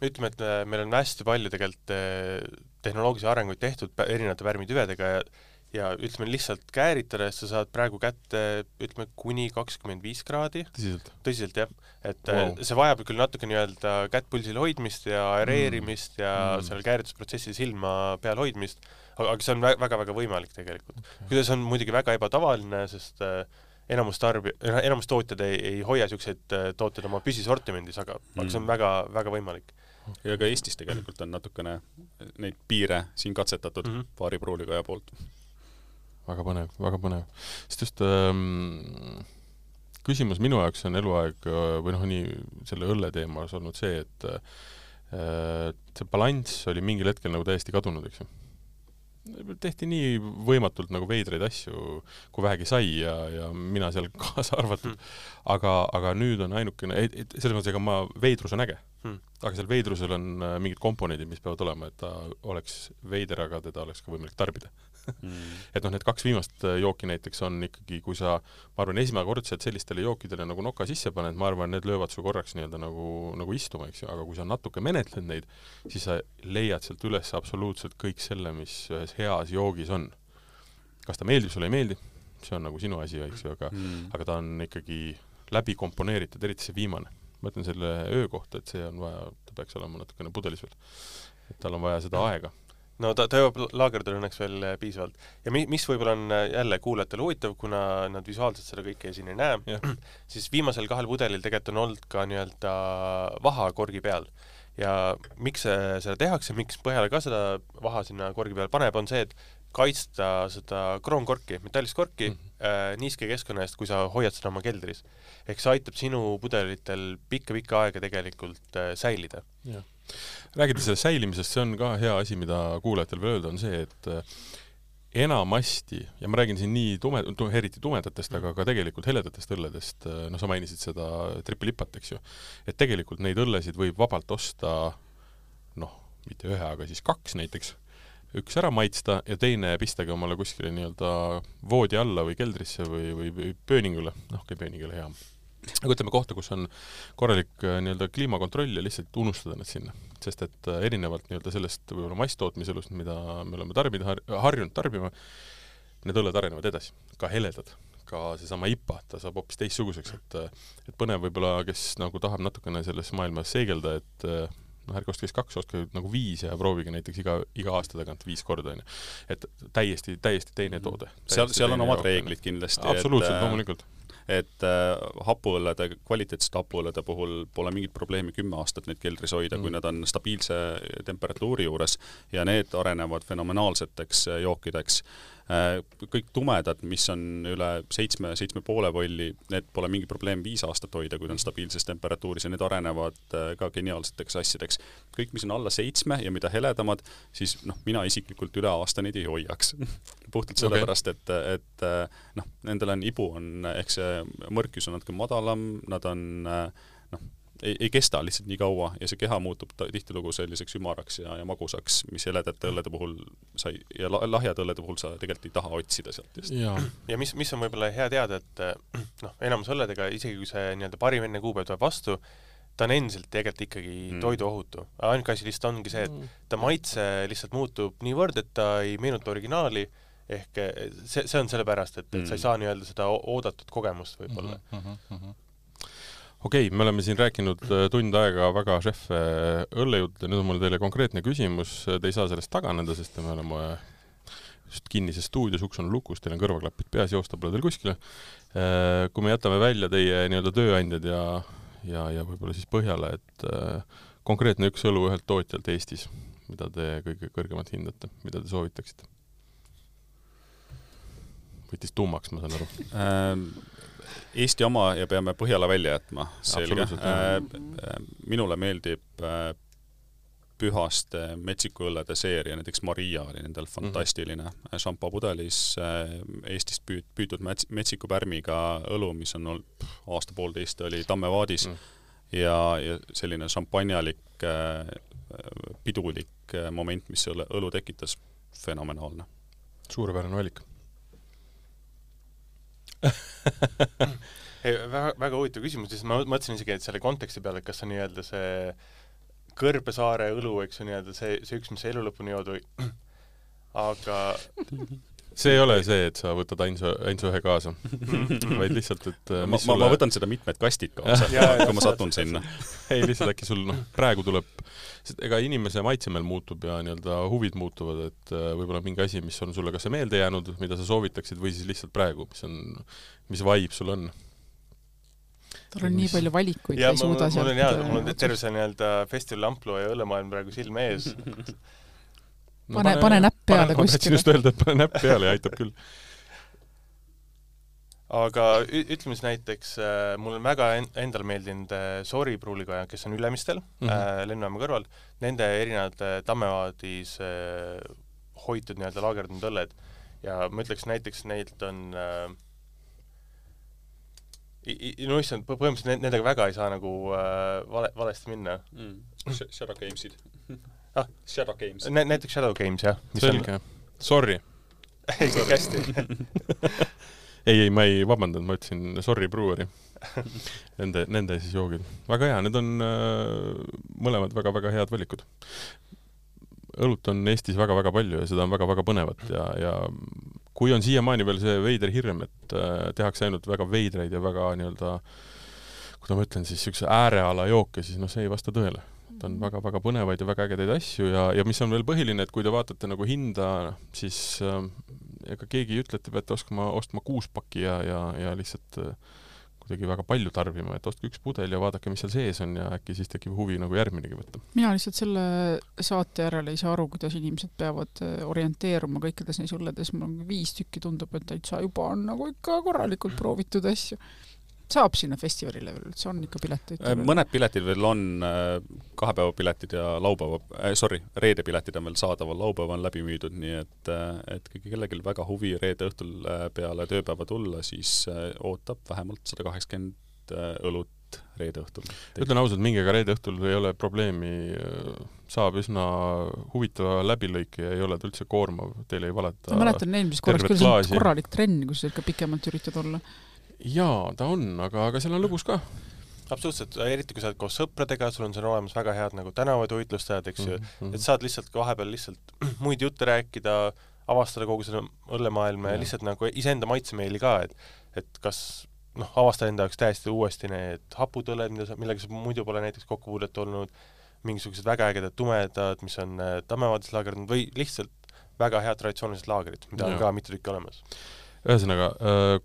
Ütleme, et meil on hästi palju tegelikult tehnoloogilisi arenguid tehtud erinevate pärmitüvedega ja ja ütleme lihtsalt kääritades sa saad praegu kätte, ütleme, kuni kakskümmend viis kraadi. Tõsiselt? Tõsiselt, jah. Et wow. see vajab küll natuke nii-öelda kätt pulsil hoidmist ja aereerimist mm. ja mm. seal kääritusprotsessis ilma peal hoidmist, aga see on väga-väga võimalik tegelikult. Okay. Kuidas on muidugi väga ebatavaline, sest enamus tarbi, enamus tootjad ei, ei hoia siukseid tooted oma püsisortimendis, aga, mm. aga see on väga, väga võimalik. Ja ka Eestis tegelikult on natukene neid piire siin katsetatud mm -hmm. paari pruulikaja poolt. Väga põnev, väga põnev. Sest just ähm, küsimus minu jaoks on eluaeg või noh, nii selle õlle teemas olnud see, et äh, see balanss oli mingil hetkel nagu täiesti kadunud, eks ju. Tehti nii võimatult nagu veidraid asju, kui vähegi sai ja, ja mina seal kaasa arvatud. Hmm. Aga, aga nüüd on ainukene, selles mõttes, ega ma veidrus on äge. Hmm. Aga seal veidrusel on mingid komponendid, mis peavad olema, et ta oleks veider, aga teda oleks ka võimalik tarbida. Mm. Et noh, need kaks viimast jooki näiteks on ikkagi, kui sa, ma arvan, esimekordselt sellistele jookidele nagu noka sisse paned, ma arvan, need löövad su korraks nii-öelda nagu, nagu istuma, eks ju, aga kui sa natuke menetled neid, siis sa leiad sealt üles absoluutselt kõik selle, mis ühes heas joogis on. Kas ta meeldib, sulle ei meeldi? See on nagu sinu asi, eks ju, aga, mm. aga ta on ikkagi läbi komponeeritud, eriti see viimane. Ma ütlen selle öö kohta, et see on vaja, ta peaks olema natukene pudelis veel. Et tal on vaja seda mm. aega. No ta, ta jõuab laagerdada õnneks veel piisavalt. Ja mi, mis võib-olla on jälle kuulajatele huvitav, kuna nad visuaalselt seda kõike siin ei näe, yeah. siis viimasel kahel pudelil tegelikult on olnud ka nii-öelda vaha korgi peal. Ja miks seda tehakse, miks Põhjala ka seda vaha sinna korgi peal paneb, on see, et kaitsta seda kroonkorki, metallist korki mm. äh, niiske keskkonna eest, kui sa hoiad seda oma keldris. Ehk see aitab sinu pudelitel pikka-pikka aega tegelikult äh, säilida. Yeah. Räägides selle säilimisest, see on ka hea asi, mida kuulajatel veel öelda, on see, et enamasti, ja ma räägin siin nii tume, eriti tumedatest, aga ka tegelikult heledatest õlledest, no sa mainisid seda tripilipat, eks ju, et tegelikult neid õllesid võib vabalt osta, noh, mitte ühe, aga siis kaks näiteks, üks ära maitsta ja teine pistage omale kuskile nii-öelda voodi alla või keldrisse või, või, või pööningule, noh, okei, pööningule hea. Aga ütleme kohta, kus on korralik nii-öelda kliimakontroll ja lihtsalt unustada need sinna. Sest et erinevalt nii-öelda sellest võib-olla masstootmiselust, mida me oleme tarbida, har harjunud tarbima, need õlled arenevad edasi, ka heledad, ka seesama I P A, ta saab hoopis teistsuguseks, et, et põnev võib-olla, kes nagu tahab natukene selles maailmas seigelda, et noh, ärge ostke kaks, ostke nagu viis ja proovige näiteks iga, iga aasta tagant viis korda, on. Et täiesti, täiesti teine toode. Seal, seal on omad reeglid kindlasti. Absoluutselt, loomulikult. Et äh, hapuõllede, kvaliteetsete hapuõllede puhul pole mingit probleemi kümme aastat neid keldris hoida, mm. kui nad on stabiilse temperatuuri juures ja need arenevad fenomenaalseteks jookideks. Äh, kõik tumedad, mis on üle seitsme, seitsme poole volli, need pole mingi probleem viis aastat hoida, kui on stabiilses temperatuuris ja need arenevad äh, ka geniaalseteks asjadeks. Kõik, mis on alla seitsme ja mida heledamad, siis noh, mina isiklikult üle aasta neid ei hoiaks. Puhtalt sellepärast, et, et noh, nendel on ibu, on, ehk see mõrkjus on natuke madalam, nad on noh, ei, ei kesta lihtsalt nii kaua ja see keha muutub tihtilugu selliseks ümaraks ja, ja magusaks, mis heledate õllede puhul sai, ja lahjad õllede puhul sa tegelikult ei taha otsida sealt just. Ja, ja mis, mis on võib-olla hea teada, et noh, enamus õlledega, isegi kui see nii-öelda parim enne kuupäev tuleb vastu, ta on endiselt tegelikult ikkagi mm. toiduohutu. Ainuke asi lihtsalt ongi see, et ta maitse lihtsalt muutub niivõrd, et ta ei meenuta originaali, ehk see, see on sellepärast, et, et sa ei saa nii-öelda seda oodatud kogemust võib-olla. Mm -hmm. Okei, okay, me oleme siin rääkinud tund aega väga šeffe õllejuttu ja nüüd on mul teile konkreetne küsimus. Te ei saa sellest taganeda, sest me oleme just kinnises stuudios, uks on lukus, teil on kõrvaklapid peas, joosta pole teil kuskile. Kui me jätame välja teie nii-öelda tööandjad ja, ja, ja võib-olla siis Põhjala, et konkreetne üks õlu ühelt tootjalt Eestis, mida te kõige kõrgemalt hindate, mida te soovitaksite? võttis tuumaks, ma saan aru. Eesti oma ja peame Põhjala välja jätma, selge. Minule meeldib Pühaste metsikuõllede seeria, näiteks Maria oli nendel fantastiline mm-hmm. šampopudelis Eestist püüt, püütud mets, metsikupärmiga õlu, mis on olnud aasta poolteist oli Tammevaadis mm. ja, ja selline šampanjalik pidulik moment, mis õlu, õlu tekitas, fenomenaalne. Suurepärane valik. Ei, väga, väga huvitav küsimus, siis ma mõtlesin isegi, et selle konteksti peale, et kas on nii-öelda see Kõrbesaare õlu, eks ju nii-öelda see, see üks, mis elu lõpuni joodu, aga see ei ole see, et sa võtad ainsa, ainsa ühe kaasa, vaid lihtsalt, et ma, sulle... ma võtan seda mitmed kastid kaasa, kui ma satun sinna. Ei, lihtsalt äkki sul, noh, praegu tuleb, sest ega inimese maitsemel muutub ja nii-öelda huvid muutuvad, et võib-olla mingi asi, mis on sulle kas see meelde jäänud, mida sa soovitaksid, või siis lihtsalt praegu, mis on, mis vibe sul on. Tal on nii palju valikuid, ja ei suuda sealt... Mul on, jah, mul on terve see nii-öelda festivali amplu ja õllemaailm praegu silme ees. No, pane, pane näpp peale kuskile. Ma tahtsin just öelda, et pane näpp peale ja aitab küll. Aga ütleme siis näiteks, mul on väga endal meeldinud Sori pruulikoja, kes on Ülemistel, mm -hmm. Lennujaama kõrval, nende erinevad Tammevaadis hoitud nii-öelda laagerdunud õlled ja ma ütleks näiteks neilt on no issand, põhimõtteliselt nendega väga ei saa nagu vale, valesti minna. Mm. Shadow Gamesid. Ah, Shadow Games. Nä, näiteks Shadow Games, jah. Selge. Sorry. ei, kõik hästi. ei, ei, ma ei vabandanud, ma ütlesin Sorry Brewery. Nende, nende siis joogid. Väga hea, need on äh, mõlemad väga-väga head valikud. Õlut on Eestis väga-väga palju ja seda on väga-väga põnevat ja, ja kui on siiamaani veel see veider hirm, et äh, tehakse ainult väga veidreid ja väga nii-öelda, kui ma ütlen siis üks ääreala jooke, siis noh, see ei vasta tõele. Ta on väga-väga põnevaid ja väga ägedaid asju ja, ja mis on veel põhiline, et kui te vaatate nagu hinda, siis äh, ega keegi ei ütle, et te peate oskama, ostma kuus paki ja, ja, ja lihtsalt äh, kuidagi väga palju tarbima, et ostke üks pudel ja vaadake, mis seal sees on ja äkki siis tekib huvi nagu järgminegi võtta. Mina lihtsalt selle saate järele ei saa aru, kuidas inimesed peavad orienteeruma kõikides neis õlledes. Mul on viis tükki tundub, et täitsa juba on nagu ikka korralikult proovitud asju. Saab sinna festivalile veel, see on ikka piletid. Mõned piletid veel on, kahepäeva piletid ja laupäeva, äh, sorry, reede piletid on veel saadaval, laupäeva on läbi müüdud, nii et, et kui kellelgi väga huvi reede õhtul peale tööpäeva tulla, siis ootab vähemalt sada kaheksakümmend õlut reede õhtul. Ütlen ausalt, mingiga reede õhtul ei ole probleemi, saab üsna huvitava läbilõike ja ei ole ta üldse koormav, teile ei valeta. Ma mäletan eelmises korraks, küll see on korralik trenn, kui sa ikka pikemalt üritad olla. Jaa, ta on, aga, aga seal on lõbus ka. Absoluutselt, eriti kui sa oled koos sõpradega, sul on seal olemas väga head nagu tänavad uitlustajad, eks ju, mm-hmm. et saad lihtsalt vahepeal lihtsalt muid jutte rääkida, avastada kogu selle õllemaailma ja, ja lihtsalt nagu iseenda maitsemeeli ka, et, et kas noh, avastada enda jaoks täiesti uuesti need haputõled, millega sa muidu pole näiteks kokkupuudet olnud, mingisugused väga ägedad tumedad, mis on Tammevaadis laagerdunud või lihtsalt väga head traditsioonilised laagrid, mida ja. on ka mitu tükki olemas. Ühesõnaga,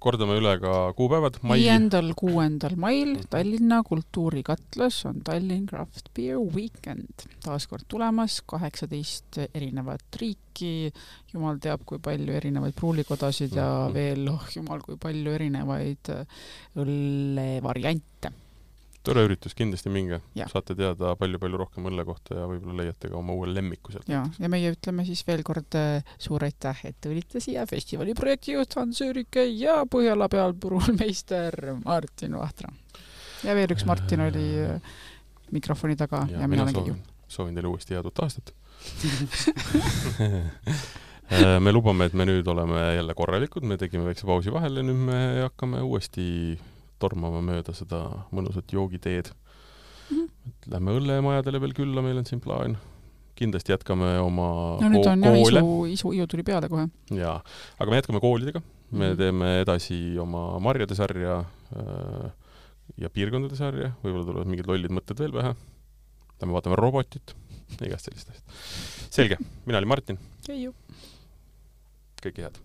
kordame üle ka kuupäevad. viiendal kuuendal mail Tallinna kultuurikatlas on Tallinn Craft Beer Weekend. Taaskord tulemas kaheksateist erinevat riiki, jumal teab, kui palju erinevaid pruulikodasid ja veel, oh jumal, kui palju erinevaid õllevariante. Tore üritus, kindlasti minge. Ja. Saate teada palju-palju rohkem õlle kohta ja võib-olla leiate ka oma uue lemmiku sealt. Ja, ja meie ütleme siis veel kord suur aitäh, et tulite siia festivali projektijuht Hans Üürike ja Põhjala pealpruulmeister Martin Vahtra. Ja veel üks Martin oli mikrofoni taga ja, ja mina olen Keiu. Soovin teile uuesti head uut aastat. Me lubame, et me nüüd oleme jälle korralikud, me tegime väikse pausi vahel ja nüüd me hakkame uuesti tormama mööda seda mõnusat joogiteed. Mm-hmm. Lähme õllemajadele veel külla, meil on siin plaan. Kindlasti jätkame oma no, nüüd on koole. Jah, isu, isu, isu tuli peale kohe. Jaa, aga me jätkame koolidega. Me mm-hmm. teeme edasi oma marjade sarja äh, ja piirkondade sarja. Võib-olla tulevad mingid lollid mõtted veel vähe. Me vaatame robotit. Igast sellist asjast. Selge, mina olin Martin. Keiu. Kõike head.